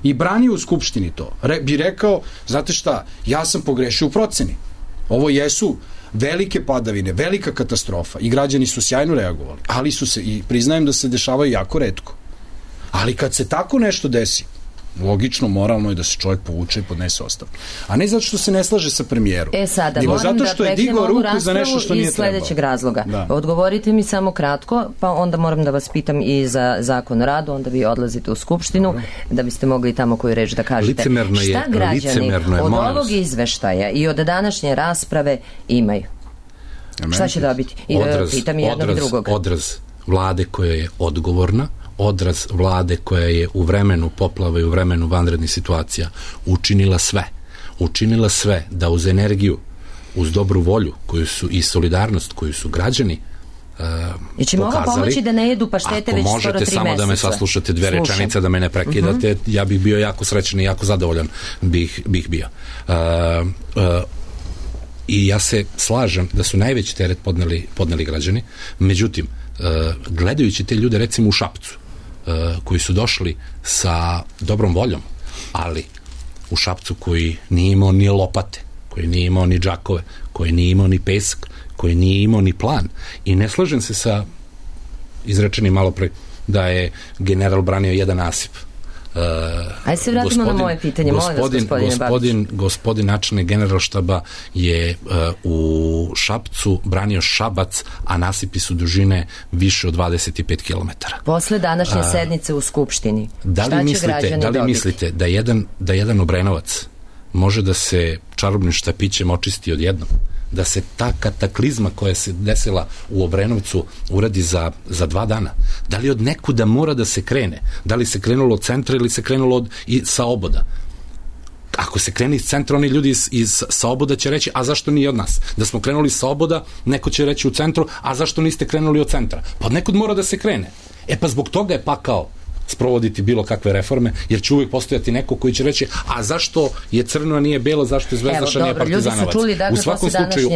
i branio u Skupštini to, bi rekao, znate šta, ja sam pogrešio u proceni. Ovo jesu velike padavine, velika katastrofa i građani su sjajno reagovali, ali su se, i priznajem da se dešavaju jako retko. Ali kad se tako nešto desi, logično, moralno je da se čovjek povuče i podnese ostavku. A ne zato što se ne slaže sa premijerom. Sada, moram da preknem ovu raspravu iz sledećeg razloga. Da. Odgovorite mi samo kratko, pa onda moram da vas pitam i za zakon o radu, onda vi odlazite u Skupštinu, da biste mogli tamo koju reč da kažete. Šta građani od ovog izveštaja i od današnje rasprave imaju? Šta će dobiti? Pitam i jednog i drugog. Odraz vlade koja je odgovorna, odraz vlade koja je u vremenu poplava i u vremenu vanrednih situacija učinila sve da uz energiju, uz dobru volju koju su i solidarnost koju su građani I će pokazali. Ovo pomoći da ne jedu paštete već skoro 3 meseca. Ako možete samo da me saslušate 2 rečenice, da me ne prekidate, ja bih bio jako srećan i jako zadovoljan bih bio. I ja se slažem da su najveći teret podneli građani, međutim, gledajući te ljude recimo u Šapcu, koji su došli sa dobrom voljom, ali u Šapcu koji nije imao ni lopate, koji nije imao ni džakove, koji nije imao ni pesak, koji nije imao ni plan. I ne slažem se sa izrečenim malo pre da je general branio jedan nasip. Ajde se vratimo na moje pitanje, molim vas, gospodine Babić. Gospodin načelnik Generalštaba je u Šapcu branio Šabac, a nasipi su dužine više od 25 km. Posle današnje sednice u Skupštini, šta će građani dobiti? Da li mislite da jedan Obrenovac može da se čarobnim štapićem očisti odjednom? Da se ta kataklizma koja se desila u Obrenovcu uradi za 2 dana? Da li od nekuda mora da se krene? Da li se krenulo od centra ili se krenulo sa oboda? Ako se krene iz centra, oni ljudi sa oboda će reći, a zašto nije od nas? Da smo krenuli sa oboda, neko će reći u centru, a zašto niste krenuli od centra? Pa od nekud mora da se krene. Pa zbog toga je pakao sprovoditi bilo kakve reforme, jer će uvijek postojati neko koji će reći, a zašto je crno, a nije belo, zašto je Zvezdaša, nije Partizanovac. U svakom slučaju,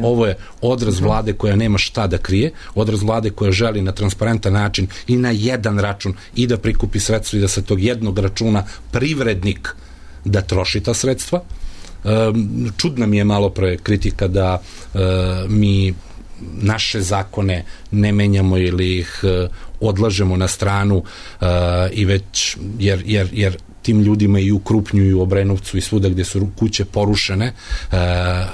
ovo je odraz vlade koja nema šta da krije, odraz vlade koja želi na transparentan način i na jedan račun i da prikupi sredstva i da sa tog jednog računa privrednik da troši ta sredstva. Čudna mi je malo pre kritika da mi naše zakone ne menjamo ili ih odlažemo na stranu i već, jer tim ljudima i u Krupnju i u Obrenovcu i svuda gde su kuće porušene,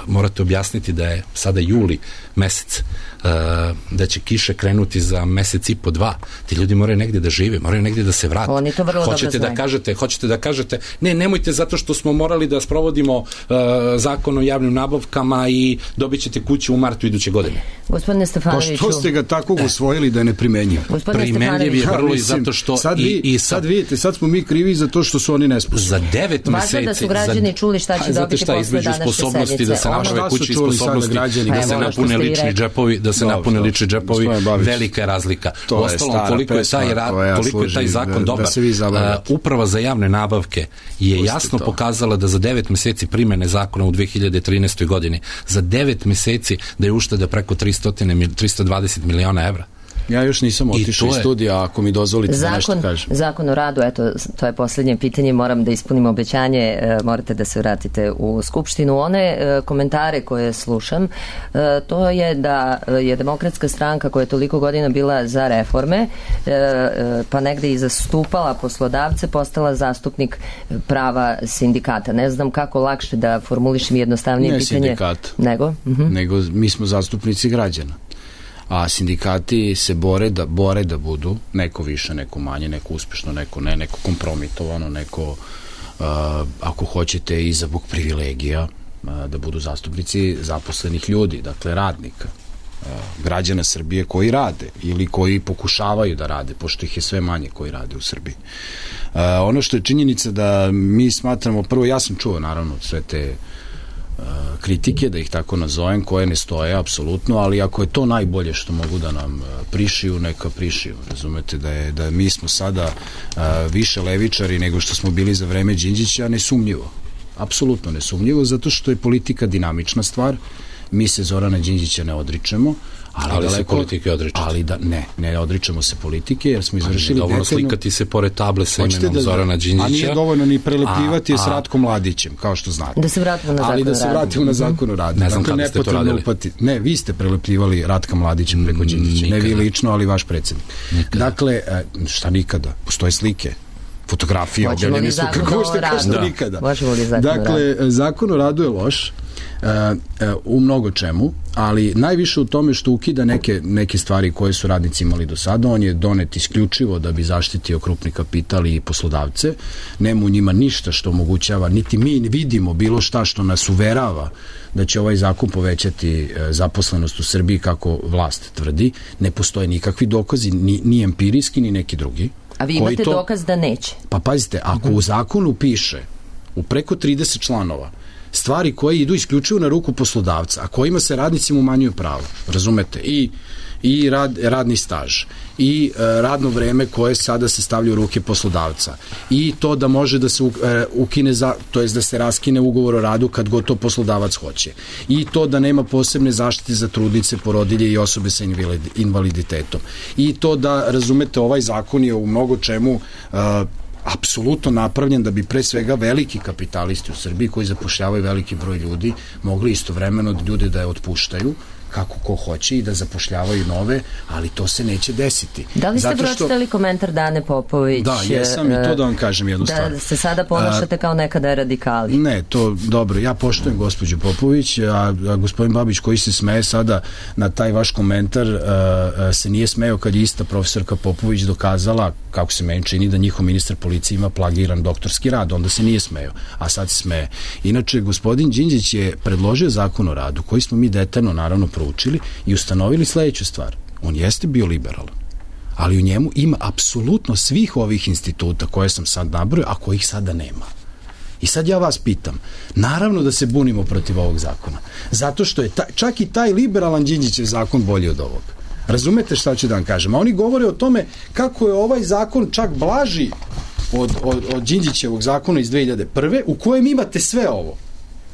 morate objasniti da je sada juli mesec, da će kiše krenuti za mesec i po, 2. Ti ljudi moraju negde da žive, moraju negde da se vrate. Oni to vrlo dobro znaju. Hoćete da kažete, nemojte zato što smo morali da sprovodimo zakon o javnim nabavkama i dobit ćete kuću u martu iduće godine. Gospodine Stefanoviću. Pa što ste ga tako usvojili da je neprimenjiv? Primenjiv je vrlo i zato što sad vidite, sad smo mi krivi za to što su oni nesposobni. Za 9 meseci. Važno da su građani čuli šta će dobiti posle današnje sednice. Da se naprave kući i sposobnosti, da se napune lični džepovi, lični džepovi, velika je razlika. Uostalom, koliko je taj zakon dobar. Uprava za javne nabavke je jasno pokazala da za 9 meseci primene zakona u 2013. godini, za 9 meseci da je ušteda preko 320 miliona evra. Ja još nisam otišao iz studija, ako mi dozvolite da nešto kažem. Zakon o radu, eto, to je poslednje pitanje, moram da ispunim obećanje, morate da se vratite u Skupštinu. One komentare koje slušam, to je da je Demokratska stranka koja je toliko godina bila za reforme, pa negde i zastupala poslodavce, postala zastupnik prava sindikata. Ne znam kako lakše da formulišem jednostavnije pitanje. Ne sindikat, nego mi smo zastupnici građana. A sindikati se bore da budu neko više, neko manje, neko uspešno, neko ne, neko kompromitovano, neko ako hoćete i zbog privilegija, da budu zastupnici zaposlenih ljudi, dakle radnika, građana Srbije koji rade ili koji pokušavaju da rade, pošto ih je sve manje koji rade u Srbiji. Ono što je činjenica da mi smatramo, prvo ja sam čuo naravno sve te kritike, da ih tako nazovem, koje ne stoje apsolutno, ali ako je to najbolje što mogu da nam prišiju, neka prišiju. Razumete da mi smo sada više levičari nego što smo bili za vreme Đinđića, nesumnjivo. Apsolutno nesumnjivo, zato što je politika dinamična stvar. Mi se Zorana Đinđića ne odričemo, ali se politike odričete. Ali ne odričemo se politike, jer smo izvršili dovoljno slikati se pored table sa imenom Zorana Đinđića. A nije dovoljno ni prelepljivati je s Ratkom Mladićem, kao što znate. Da se vratimo na zakon o radu. Ali da se vratimo na zakon o radu. Ne znam kada ste to radili. Ne, vi ste prelepljivali Ratka Mladićem preko Đinđića. Ne vi lično, ali vaš predsjednik. Dakle, šta nikada? Postoje slike, fotografije, objavljene su kako što kažete nikada. Dakle, zakon o radu je loš u mnogo čemu, ali najviše u tome što ukida neke stvari koje su radnici imali do sada. On je donet isključivo da bi zaštitio krupni kapital i poslodavce. Nema u njima ništa što omogućava, niti mi vidimo bilo šta što nas uverava da će ovaj zakon povećati zaposlenost u Srbiji kako vlast tvrdi. Ne postoje nikakvi dokazi, ni empirijski, ni neki drugi. A vi imate dokaz da neće? Pa pazite, ako u zakonu piše u preko 30 članova stvari koje idu isključivo na ruku poslodavca, a kojima se radnicima umanjuju pravo, razumete, i radni staž, i radno vreme koje sada se stavlja u ruke poslodavca, i to da može da se ukine, to jest da se raskine ugovor o radu kad god to poslodavac hoće, i to da nema posebne zaštite za trudnice, porodilje i osobe sa invaliditetom, i to da, razumete, ovaj zakon je u mnogo čemu apsolutno napravljen da bi pre svega veliki kapitalisti u Srbiji koji zapošljavaju veliki broj ljudi mogli istovremeno ljude da je otpuštaju kako ko hoće i da zapošljavaju nove, ali to se neće desiti. Da li ste pročitali komentar Dane Popović? Da, jesam, i to da vam kažem jednu stvar. Da se sada ponašate kao nekada radikali. Ne, to dobro, ja poštujem gospođu Popović, a gospodin Babić koji se smeje sada na taj vaš komentar se nije smeo kad je ista profesorka Popović dokazala, kako se meni čini, da njihov ministar policije ima plagiran doktorski rad, onda se nije smeo, a sad se smeje. Inače, gospodin Đinđić je predložio zakon o radu koji smo mi detaljno naravno proučili i ustanovili sledeću stvar. On jeste bio liberalan, ali u njemu ima apsolutno svih ovih instituta koje sam sad nabrojio, a kojih sada nema. I sad ja vas pitam, naravno da se bunimo protiv ovog zakona, zato što je čak i taj liberalan Đinđićev zakon bolji od ovog. Razumete šta ću da vam kažem? A oni govore o tome kako je ovaj zakon čak blaži od Đinđićevog zakona iz 2001. u kojem imate sve ovo.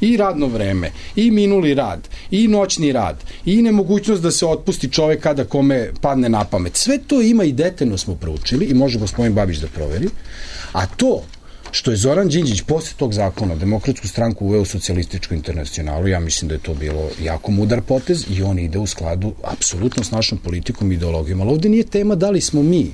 I radno vreme, i minuli rad, i noćni rad, i nemogućnost da se otpusti čovek kada kome padne na pamet. Sve to ima i detaljno smo proučili i može gospodin Babić da proveri. A to Što je Zoran Đinđić posle tog zakona Demokratsku stranku uveo u socijalističku internacionalu, ja mislim da je to bilo jako mudar potez i on ide u skladu apsolutno s našom politikom i ideologijom. Ali ovde nije tema da li smo mi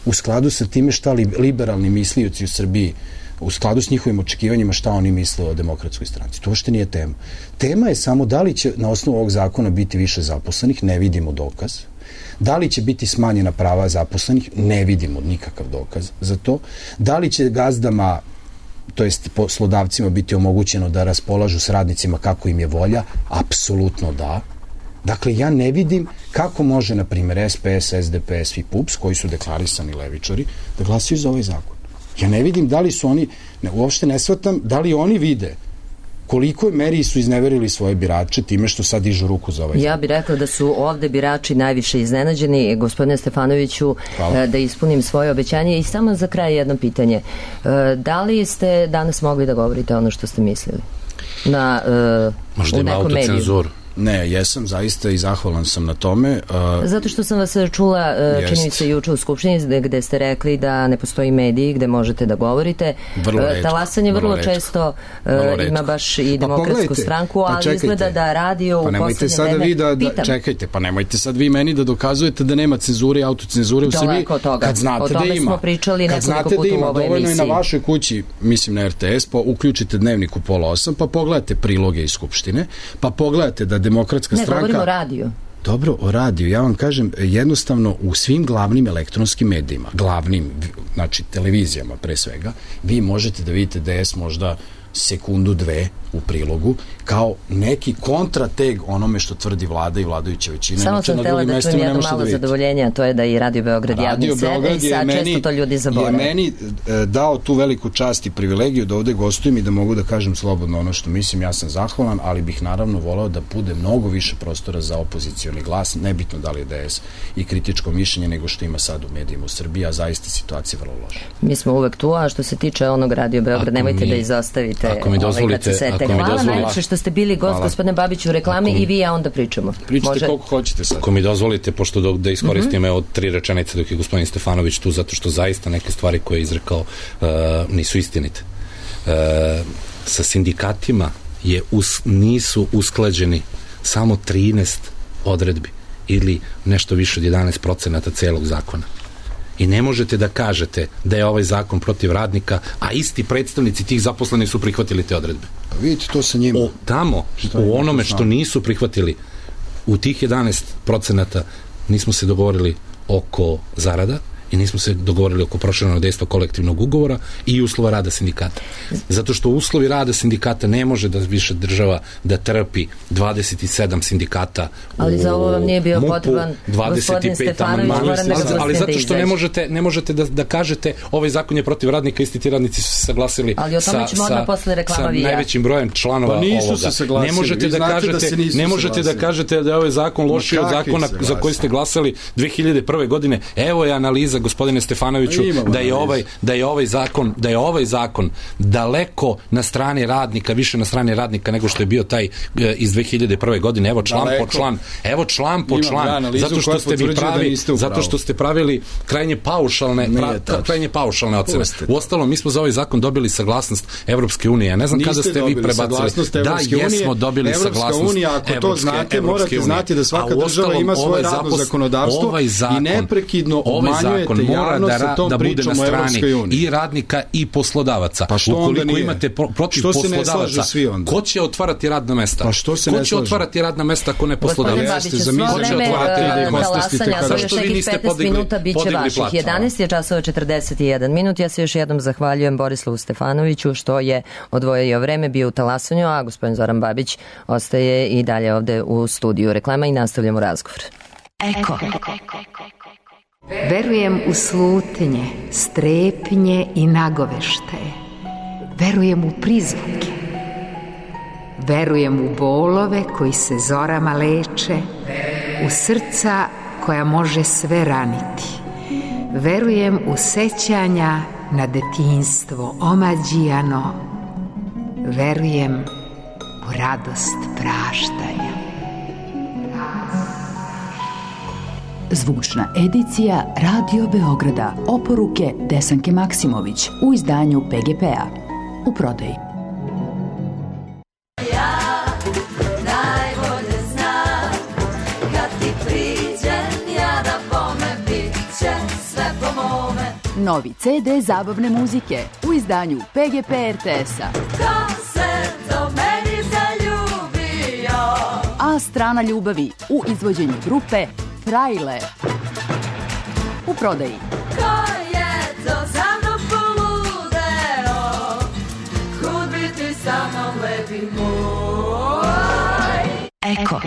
u skladu sa time šta liberalni mislioci u Srbiji, u skladu s njihovim očekivanjima šta oni misle o Demokratskoj stranci. To uopšte nije tema. Tema je samo da li će na osnovu ovog zakona biti više zaposlenih, ne vidimo dokaz. Da li će biti smanjena prava zaposlenih, ne vidimo nikakav dokaz za to. Da li će gazdama, to jest poslodavcima, biti omogućeno da raspolažu s radnicima kako im je volja, apsolutno da. Dakle, ja ne vidim kako može, na primjer, SPS, SDPS i PUPS, koji su deklarisani levičari, da glasaju za ovaj zakon. Ja ne vidim da li su oni, uopšte ne shvatam, da li oni vide koliko meri su izneverili svoje birače time što sad dižu ruku za ovaj zakon. Ja bih rekla da su ovde birači najviše iznenađeni. Gospodine Stefanoviću, da ispunim svoje obećanje. I samo za kraj jedno pitanje. Da li ste danas mogli da govorite ono što ste mislili? Možda ima autocenzuru. Ne, jesam zaista i zahvalan sam na tome. Zato što sam vas čula, čini mi se, juče u Skupštini, gde ste rekli da ne postoji mediji gde možete da govorite. Talasanje vrlo često ima baš i Demokratsku stranku, ali izgleda da radio u poslednje vreme. Čekajte, pa nemojte sad vi meni da dokazujete da nema cenzure i autocenzure u Srbiji, kad znate da ima. O tome smo pričali nekoliko puta u ovoj emisiji. Dovoljno je na vašoj kući, mislim na RTS, pa uključite Dnevnik u 7:30, pa pogledate priloge iz Skupštine, pa pogledate da Demokratska stranka... Ne, govorimo o radiju. Dobro, o radiju. Ja vam kažem, jednostavno u svim glavnim elektronskim medijima, glavnim, znači televizijama pre svega, vi možete da vidite DS možda sekundu, dve u prilogu, kao neki kontrateg onome što tvrdi vlada i vladajuća većina. Samo sam htjela da čujem jedno malo zadovoljenje, a to je da i Radio Beograd javni servis, i sad često to ljudi zaborave. Je meni dao tu veliku čast i privilegiju da ovde gostujem i da mogu da kažem slobodno ono što mislim. Ja sam zahvalan, ali bih naravno volao da bude mnogo više prostora za opozicioni glas, nebitno da li je DS i kritičko mišljenje nego što ima sad u medijima u Srbiji, a zaista situacija vrlo loša. Mi smo uvek tu, a što se tiče onog Radio Beograd, nemojte da izostavite. Ako mi dozvolite, hvala najlepše što ste bili gost, gospodine Babiću, u reklami i vi, a onda pričamo. Pričate koliko hoćete sad. Ako mi dozvolite, pošto da iskoristim od 3 rečenice dok je gospodin Stefanović tu, zato što zaista neke stvari koje je izrekao nisu istinite. Sa sindikatima nisu usklađeni samo 13 odredbi ili nešto više od 11% celog zakona. I ne možete da kažete da je ovaj zakon protiv radnika, a isti predstavnici tih zaposlenih su prihvatili te odredbe. Pa vidite to sa njima. Tamo, u onome što nisu prihvatili, u tih 11% nismo se dogovorili oko zarada i nismo se dogovorili oko proširenog dejstva kolektivnog ugovora i uslova rada sindikata. Zato što uslovi rada sindikata ne može da više država da trpi 27 sindikata ali za ovo vam nije bio potreban gospodin Stefanović, ali zato što ne možete da kažete ovaj zakon je protiv radnika, isti ti radnici su se saglasili sa najvećim brojem članova ovoga. Ne možete da kažete da je ovaj zakon lošiji od zakona za koji ste glasali 2001. godine. Evo je analiza, gospodine Stefanoviću, da je ovaj zakon daleko na strani radnika, više na strani radnika nego što je bio taj iz 2001. godine. Evo član po član, zato što ste pravili krajnje paušalne ocene. Uostalom, mi smo za ovaj zakon dobili saglasnost Evropske unije. Ja ne znam kada ste vi prebacili. Da, jesmo dobili saglasnost Evropske unije. Ako to znate, morate znati da svaka država ima svoje radno zakonodavstvo i neprekidno obmanjujete javnost sa tom pričom o Evropskoj uniji. I radnika i poslodavaca. Pa što onda nije? Imate protiv poslodavaca, ko će otvarati radna mesta? Pa što se ne slaže? Ko će otvarati radna mesta ako ne poslodavac? Zašto vi niste podigli platu? 11 je časova 41 minut. Ja se još jednom zahvaljujem Borislavu Stefanoviću što je odvojio vreme, bio u Talasanju, a gospodin Zoran Babić ostaje i dalje ovde u studiju. Reklama i nastavljamo razgovor. Eko. Verujem u slutnje, strepnje i nagoveštaje. Verujem u prizvuke. Verujem u bolove koji se zorama leče, u srca koja može sve raniti. Verujem u sećanja na detinjstvo omađijano. Verujem u radost praštanja. Zvučna edicija Radio Beograda. Oporuke Desanke Maksimović u izdanju PGP-a. U prodaji. Novi CD zabavne muzike u izdanju PGP RTS-a. Ko se do meni zaljubio? A strana ljubavi u izvođenju grupe Trailer. U prodaji. Ko je to za mnom poludeo? Kud biti sa mnom lepi moj? Eko.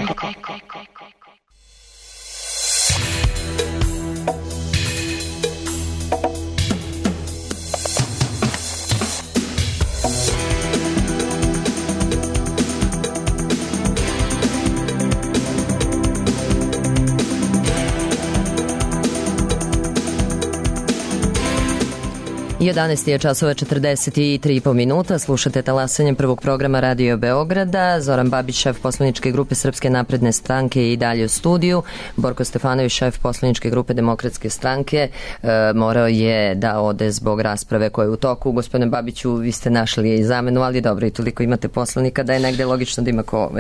I 11 je časova 43,5 minuta. Slušate talasanje prvog programa Radio Beograda. Zoran Babić, šef poslaničke grupe Srpske napredne stranke i dalje u studiju. Borko Stefanović, šef poslaničke grupe Demokratske stranke, morao je da ode zbog rasprave koja je u toku. Gospodine Babiću, vi ste našli i zamenu, ali dobro, i toliko imate poslanika da je negde logično da ima ko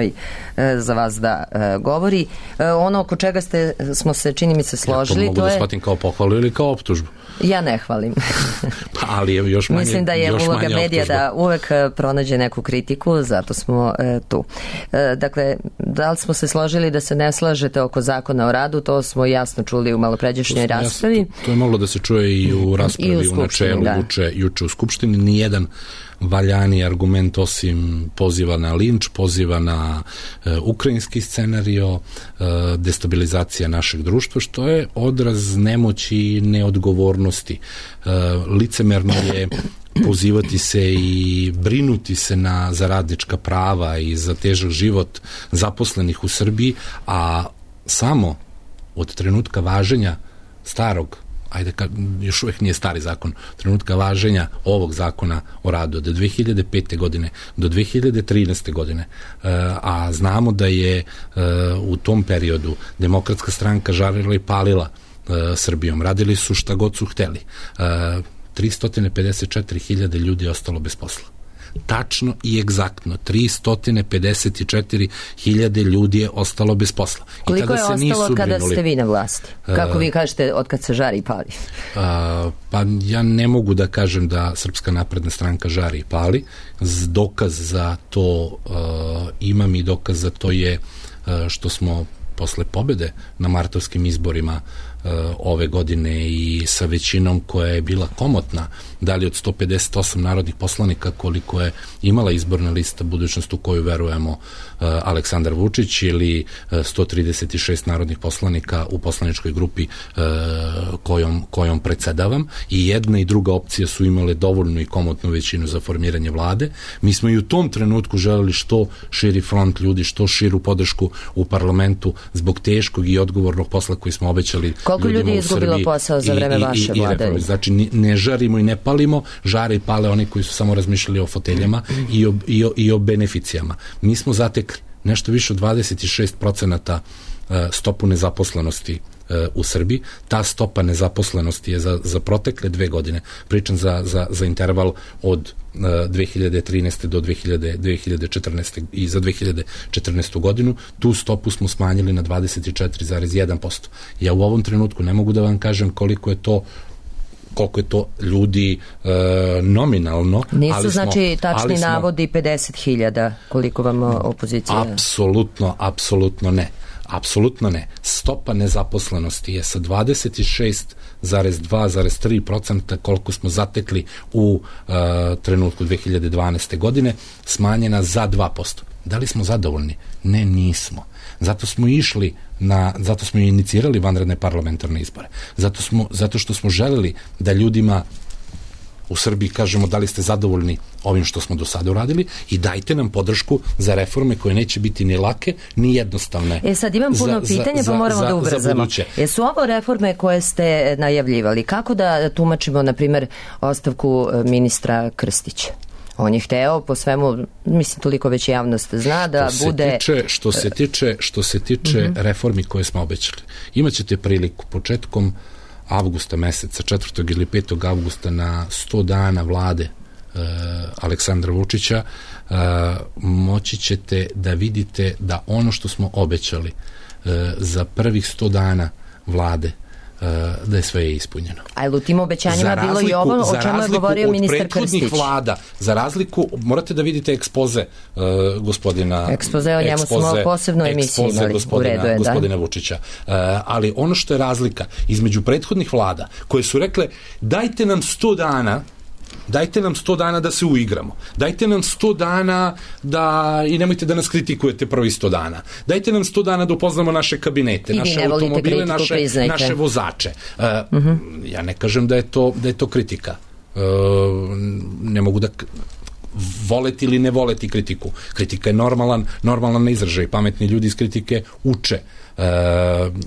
za vas da govori. Ono oko čega smo se, čini mi se, složili, mogu da shvatim kao pohvalu ili kao optužbu? Ja ne hvalim. Pa, ali je još manje. Mislim da je uloga medija da uvek pronađe neku kritiku, zato smo tu. Dakle, da li smo se složili da se ne slažete oko zakona o radu, to smo jasno čuli u malopređašnjoj raspravi. To je moglo da se čuje i u raspravi u načelu juče u Skupštini. Nijedan valjani argument osim poziva na linč, poziva na ukrajinski scenario, destabilizacija našeg društva, što je odraz nemoći i neodgovornosti. Licemerno je pozivati se i brinuti se za radnička prava i za težak život zaposlenih u Srbiji, a samo od trenutka važenja starog, još uvek nije stari zakon, trenutka važenja ovog zakona o radu od 2005. godine do 2013. godine, a znamo da je u tom periodu Demokratska stranka žarila i palila Srbijom, radili su šta god su hteli. 354.000 ljudi je ostalo bez posla. Tačno i egzaktno 354.000 ljudi je ostalo bez posla. Koliko je ostalo kada ste vi na vlasti? Kako vi kažete, od kad se žari i pali? Pa ja ne mogu da kažem da Srpska napredna stranka žari i pali. Dokaz za to imam i dokaz za to je što smo posle pobede na martovskim izborima ove godine i sa većinom koja je bila komotna, da li od 158 narodnih poslanika koliko je imala izborna lista Budućnost u koju verujemo Aleksandar Vučić ili 136 narodnih poslanika u poslaničkoj grupi kojom predsedavam, i jedna i druga opcija su imale dovoljnu i komotnu većinu za formiranje vlade. Mi smo i u tom trenutku želeli što širi front ljudi, što širu podršku u parlamentu zbog teškog i odgovornog posla koji smo obećali. Koliko ljudi je izgubilo posao za vreme vaše vlade? Znači, ne žarimo i ne palimo, žare i pale oni koji su samo razmišljali o foteljama i o beneficijama. Mi smo zatekli nešto više od 26% stopu nezaposlenosti u Srbiji. Ta stopa nezaposlenosti je za protekle 2 godine, pričam za interval od 2013. do 2014. i za 2014. godinu, tu stopu smo smanjili na 24,1%. Ja u ovom trenutku ne mogu da vam kažem koliko je to ljudi nominalno. Nisu znači tačni navodi 50.000 koliko vam opozicija? Apsolutno ne. Apsolutno ne. Stopa nezaposlenosti je sa 26,2,3% koliko smo zatekli u trenutku 2012. godine smanjena za 2%. Da li smo zadovoljni? Ne, nismo. Zato smo inicirali vanredne parlamentarne izbore. Zato što smo želeli da ljudima u Srbiji kažemo da li ste zadovoljni ovim što smo do sada uradili i dajte nam podršku za reforme koje neće biti ni lake, ni jednostavne. Sad imam puno pitanja, pa moramo da ubrzamo. Su ovo reforme koje ste najavljivali? Kako da tumačimo, na primjer, ostavku ministra Krstića? On je hteo po svemu, mislim, toliko već javnost zna da bude... Što se tiče reformi koje smo obećali, imaćete priliku početkom avgusta meseca, 4. ili 5. avgusta na 100 dana vlade Aleksandra Vučića, moći ćete da vidite da ono što smo obećali za prvih 100 dana vlade da je sve ispunjeno. A je u tim obećanjima bilo i ovo o čemu je govorio ministar Krstić? Vlada, za razliku, morate da vidite ekspoze gospodina... Ekspoze, o njemu smo posebno emisiju imali, u redu je, gospodina Vučića. Ali ono što je razlika između prethodnih vlada, koje su rekle, dajte nam 100 dana da se uigramo. Dajte nam 100 dana i nemojte da nas kritikujete prvi 100 dana. Dajte nam 100 dana da upoznamo naše kabinete, naše automobile, naše vozače. Ja ne kažem da je to kritika. Ne mogu da voleti ili ne voleti kritiku. Kritika je normalan izražaj. Pametni ljudi iz kritike uče.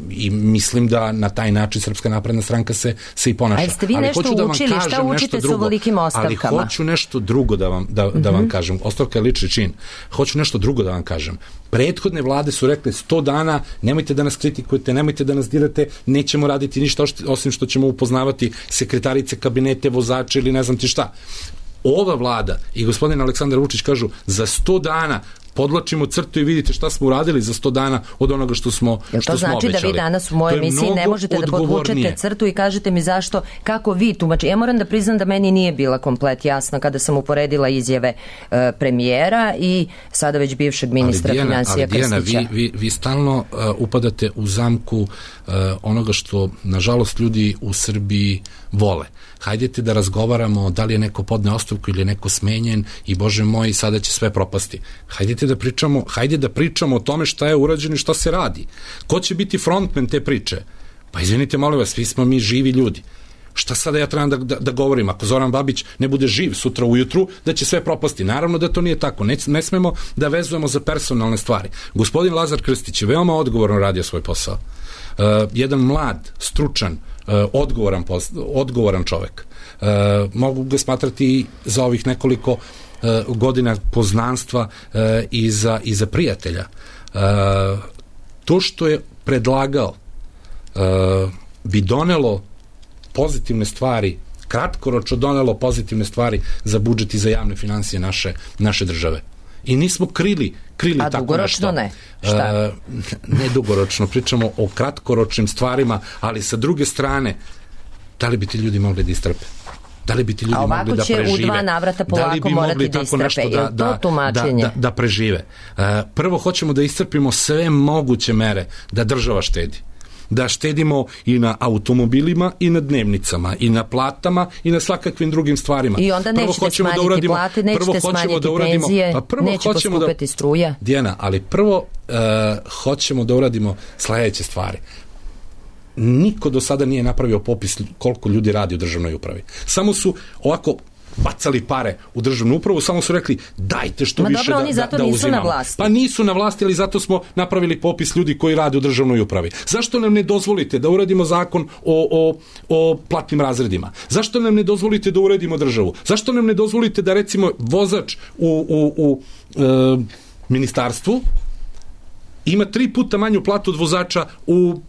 I mislim da na taj način Srpska napredna stranka se i ponaša. Ali ste vi nešto učili? Šta učite sa ovolikim ostavkama? Ali hoću nešto drugo da vam kažem. Ostavka je lični čin. Hoću nešto drugo da vam kažem. Prethodne vlade su rekle 100 dana, nemojte da nas kritikujete, nemojte da nas dirate, nećemo raditi ništa osim što ćemo upoznavati sekretarice, kabinete, vozače ili ne znam ti šta. Ova vlada i gospodin Aleksandar Vučić kažu za 100 dana podlačimo crtu i vidite šta smo uradili za 100 dana od onoga što smo obećali. To znači da vi danas u mojoj emisiji ne možete da podvučete crtu i kažete mi zašto, kako vi tumačite. Ja moram da priznam da meni nije bila komplet jasna kada sam uporedila izjave premijera i sada već bivšeg ministra financija Krstića. Ali Dijana, vi stalno upadate u zamku onoga što nažalost ljudi u Srbiji vole. Hajdete da razgovaramo da li je neko podneo ostavku ili je neko smenjen i Bože moj, sada će sve propasti. Hajde da pričamo o tome šta je urađeno i šta se radi. Ko će biti frontmen te priče? Pa izvinite, molim vas, svi smo mi živi ljudi. Šta sada ja trebam da govorim? Ako Zoran Babić ne bude živ sutra ujutru, da će sve propasti. Naravno da to nije tako. Ne smemo da vezujemo za personalne stvari. Gospodin Lazar Krstić je veoma odgovorno radio svoj posao. Jedan mlad, stručan, odgovoran čovek. Mogu ga smatrati za ovih nekoliko godina poznanstva i za prijatelja. To što je predlagao bi donelo pozitivne stvari, kratkoročno donelo pozitivne stvari za budžet i za javne finansije naše države. I nismo krili tako nešto. A dugoročno ne? Šta? Ne dugoročno, pričamo o kratkoročnim stvarima, ali sa druge strane, da li bi ti ljudi mogli da istrpe? Da li bi ti ljudi mogli da prežive? A ovako će u 2 navrata polako morati da istrpe. Je li to tumačenje? Da prežive. Prvo hoćemo da iscrpimo sve moguće mere da država štedi. Da štedimo i na automobilima i na dnevnicama i na platama i na svakakvim drugim stvarima. I onda nećete smanjiti plate, nećete smanjiti penzije, neće poskupiti struja. Dijana, ali prvo hoćemo da uradimo sledeće stvari. Niko do sada nije napravio popis koliko ljudi radi u državnoj upravi. Samo su ovako bacali pare u državnu upravu, samo su rekli dajte što više dobro, oni zato nisu na vlasti. Pa nisu na vlasti, ali zato smo napravili popis ljudi koji rade u državnoj upravi. Zašto nam ne dozvolite da uradimo zakon o platnim razredima? Zašto nam ne dozvolite da uredimo državu? Zašto nam ne dozvolite da recimo vozač u ministarstvu ima 3 puta manju platu od vozača u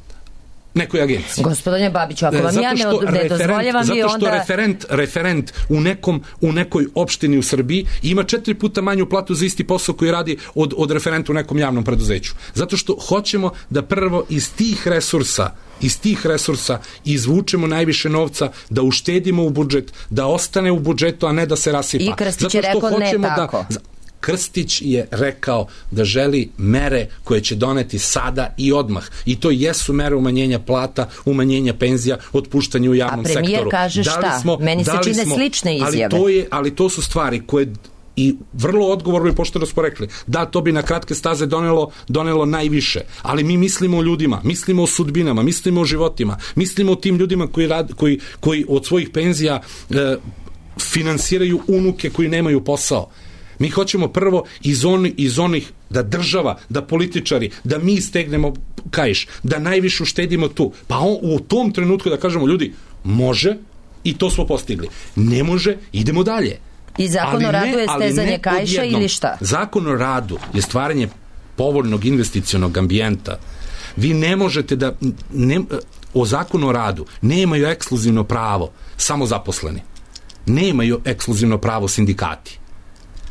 nekoj agenciji. Gospodine Babiću, ako vam ja ne dozvoljavam i onda... Zato što referent u nekoj opštini u Srbiji ima 4 puta manju platu za isti posao koji radi od referenta u nekom javnom preduzeću. Zato što hoćemo da prvo iz tih resursa izvučemo najviše novca, da uštedimo u budžet, da ostane u budžetu, a ne da se rasipa. I Krstić je rekao ne tako. Krstić je rekao da želi mere koje će doneti sada i odmah. I to jesu mere umanjenja plata, umanjenja penzija, otpuštanja u javnom sektoru. A premijer kaže šta? Meni se čine slične izjave. Ali to su stvari koje i vrlo odgovorno i pošteno smo rekli, da, to bi na kratke staze donelo najviše, ali mi mislimo o ljudima, mislimo o sudbinama, mislimo o životima, mislimo o tim ljudima koji od svojih penzija finansiraju unuke koji nemaju posao. Mi hoćemo prvo iz onih da država, da političari, da mi stegnemo kaiš, da najviše uštedimo tu. Pa u tom trenutku da kažemo ljudi, može i to smo postigli. Ne može, idemo dalje. I zakon o radu je stezanje kaiša ili šta? Zakon o radu je stvaranje povoljnog investicionog ambijenta. Vi ne možete da... o zakonu o radu nemaju ekskluzivno pravo samo zaposleni. Nemaju ekskluzivno pravo sindikati.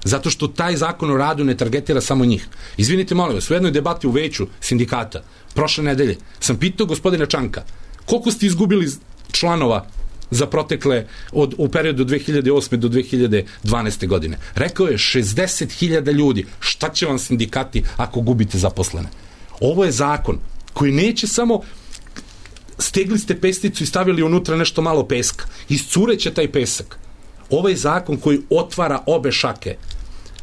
Zato što taj zakon o radu ne targetira samo njih. Izvinite, molim vas, u jednoj debati u veću sindikata prošle nedelje sam pitao gospodina Čanka koliko ste izgubili članova za protekle u periodu 2008. do 2012. godine. Rekao je 60.000 ljudi. Šta će vam sindikati ako gubite zaposlene? Ovo je zakon koji neće samo stegli ste pesnicu i stavili unutra nešto malo peska. Iscureće taj pesak. Ovo je zakon koji otvara obe šake,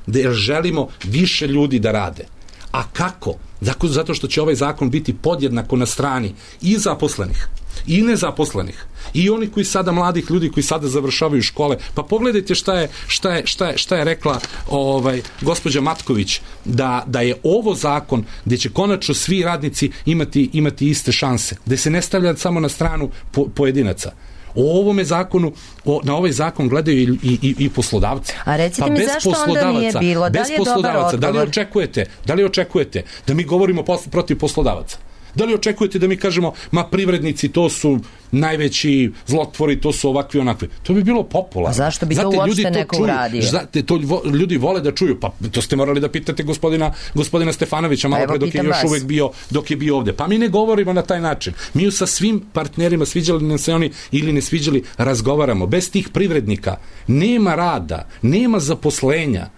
jer želimo više ljudi da rade. A kako? Zato što će ovaj zakon biti podjednako na strani i zaposlenih, i nezaposlenih, i oni koji sada, mladih ljudi koji sada završavaju škole. Pa pogledajte šta je rekla gospođa Matković, da je ovo zakon gde će konačno svi radnici imati iste šanse, gde se ne stavlja samo na stranu pojedinaca. O ovome zakonu, na ovaj zakon gledaju i poslodavci. A recite mi zašto onda nije bilo? Da li je dobar odgovor? Da li očekujete da mi govorimo protiv poslodavaca? Da li očekujete da mi kažemo, ma privrednici to su najveći zlotvori, to su ovakvi onakvi? To bi bilo popularno. A zašto bi to uopšte neko uradio? To ljudi vole da čuju. Pa to ste morali da pitate gospodina Stefanovića malo pre dok je bio ovde. Pa mi ne govorimo na taj način. Mi sa svim partnerima, sviđali nam se oni ili ne sviđali, razgovaramo. Bez tih privrednika nema rada, nema zaposlenja.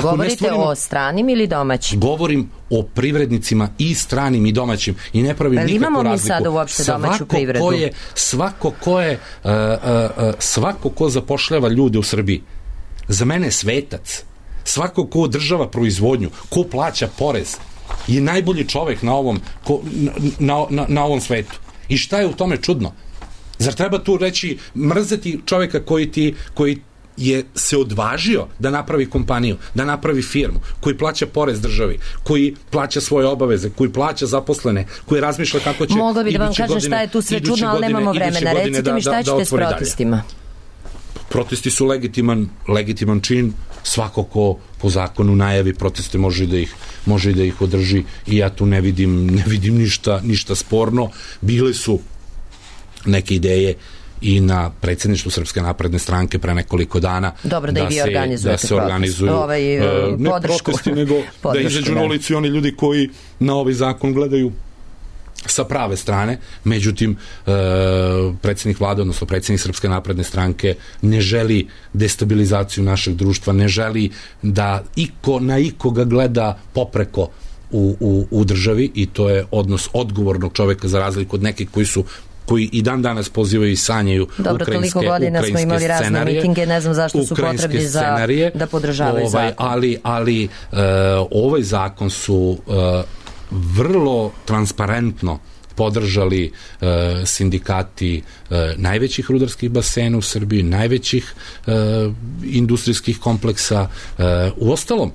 Govorite o stranim ili domaćim? Govorim o privrednicima i stranim i domaćim i ne pravim nikakvu razliku. Imamo mi sada uopšte domaću privredu? Svako ko zapošljava ljude u Srbiji, za mene je svetac. Svako ko održava proizvodnju, ko plaća porez, je najbolji čovek na ovom svetu. I šta je u tome čudno? Zar treba tu reći, mrzeti čoveka koji je se odvažio da napravi kompaniju, da napravi firmu, koji plaća porez državi, koji plaća svoje obaveze, koji plaća zaposlene, koji razmišlja kako će... Mogla bi da vam kažem šta je tu sve čudno, ali nemamo vremena. Recite mi šta ćete s protestima? Protesti su legitiman čin. Svako ko po zakonu najavi proteste može da ih održi i ja tu ne vidim ništa sporno. Bile su neke ideje i na predsjedništvu Srpske napredne stranke pre nekoliko dana. Dobro, da i vi organizujete da se organizuju ne protesti, nego da izađu na ulicu i oni ljudi koji na ovaj zakon gledaju sa prave strane. Međutim, predsjednik vlade, odnosno predsjednik Srpske napredne stranke ne želi destabilizaciju našeg društva, ne želi da na ikoga gleda popreko u državi, i to je odnos odgovornog čoveka za razliku od nekih koji i dan danas pozivaju i sanjaju ukrajinske scenarije. Dobro, toliko godina smo imali razne mitinge, ne znam zašto su potrebni da podržavaju zakon. Ali ovaj zakon su vrlo transparentno podržali sindikati najvećih rudarskih basena u Srbiji, najvećih industrijskih kompleksa. Uostalom,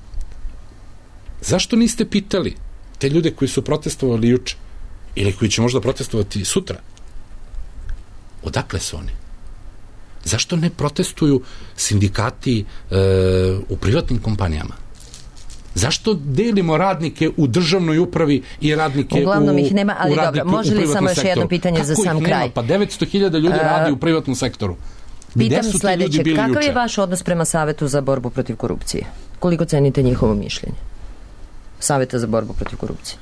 zašto niste pitali te ljude koji su protestovali juče ili koji će možda protestovati sutra? Odakle su oni? Zašto ne protestuju sindikati u privatnim kompanijama? Zašto delimo radnike u državnoj upravi i radnike uglavnom ih nema, ali dobro, može li samo još jedno pitanje za sam kraj? Pa 900.000 ljudi radi u privatnom sektoru. Pitam sledeće, kakav je vaš odnos prema Savetu za borbu protiv korupcije? Koliko cenite njihovo mišljenje? Saveta za borbu protiv korupcije.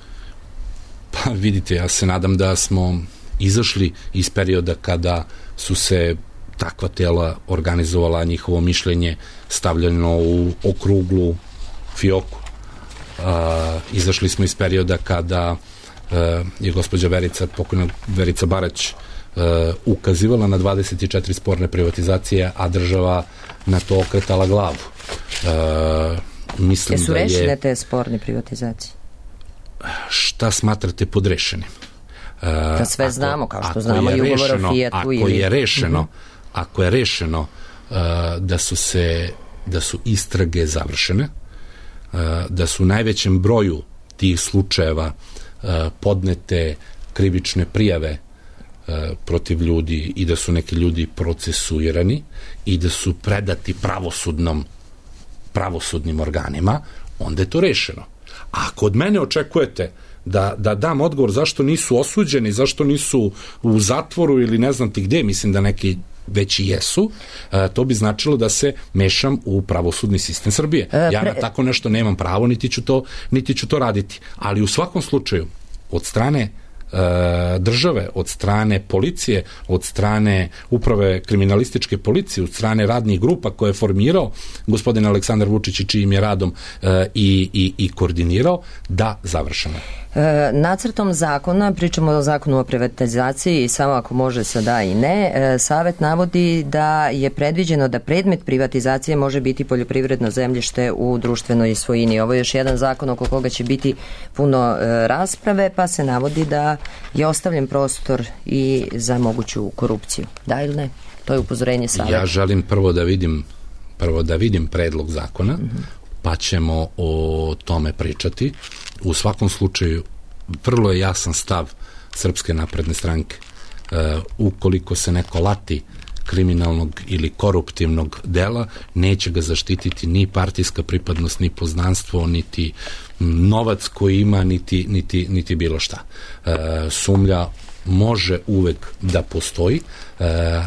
Pa vidite, ja se nadam da smo izašli iz perioda kada su se takva tela organizovala, njihovo mišljenje stavljeno u okruglu fioku. Izašli smo iz perioda kada je gospođa pokojna Verica Barać ukazivala na 24 sporne privatizacije, a država na to okretala glavu. Jesu rešene te sporne privatizacije? Šta smatrate pod rešenim? Da sve znamo, kao što znamo i ugovor o Fijatu. Ako je rešeno da su istrage završene, da su u najvećem broju tih slučajeva podnete krivične prijave protiv ljudi i da su neki ljudi procesuirani i da su predati pravosudnim organima, onda je to rešeno. A ako od mene očekujete da dam odgovor zašto nisu osuđeni, zašto nisu u zatvoru ili ne znam ti gde, mislim da neki već i jesu, to bi značilo da se mešam u pravosudni sistem Srbije. Ja na tako nešto nemam pravo, niti ću to raditi. Ali u svakom slučaju, od strane države, od strane policije, od strane uprave kriminalističke policije, od strane radnih grupa koje je formirao gospodin Aleksandar Vučić i čijim je radom i koordinirao, da završeno. Nacrtom zakona, pričamo o zakonu o privatizaciji, samo ako može sa da i ne, Savet navodi da je predviđeno da predmet privatizacije može biti poljoprivredno zemljište u društvenoj svojini. Ovo je još jedan zakon oko koga će biti puno rasprave, pa se navodi da je ostavljen prostor i za moguću korupciju. Da ili ne? To je upozorenje Saveta. Ja želim prvo da vidim predlog zakona, pa ćemo o tome pričati. U svakom slučaju, vrlo je jasan stav Srpske napredne stranke. Ukoliko se neko lati kriminalnog ili koruptivnog dela, neće ga zaštititi ni partijska pripadnost, ni poznanstvo, niti novac koji ima, niti bilo šta. Sumlja može uvek da postoji,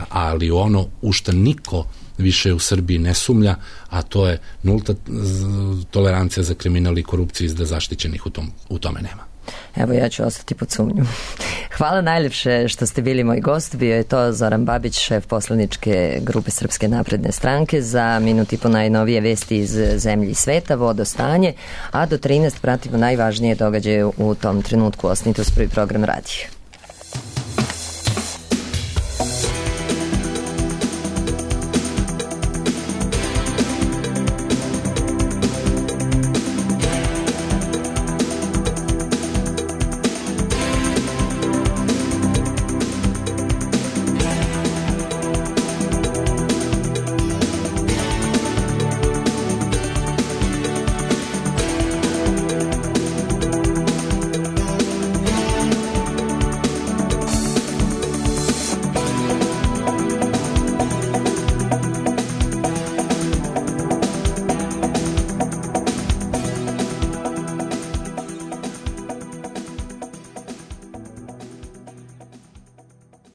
ali ono u šta niko više u Srbiji ne sumlja, a to je nulta tolerancija za kriminal i korupciju, da zaštićenih u tome nema. Evo, ja ću ostati pod sumnju. Hvala najljepše što ste bili moj gost. Bio je to Zoran Babić, šef poslaničke grupe Srpske napredne stranke. Za minut i po najnovije vesti iz zemlje i sveta, vodostanje, a do 13 pratimo najvažnije događaje u tom trenutku. Ostanite uz Prvi program radija.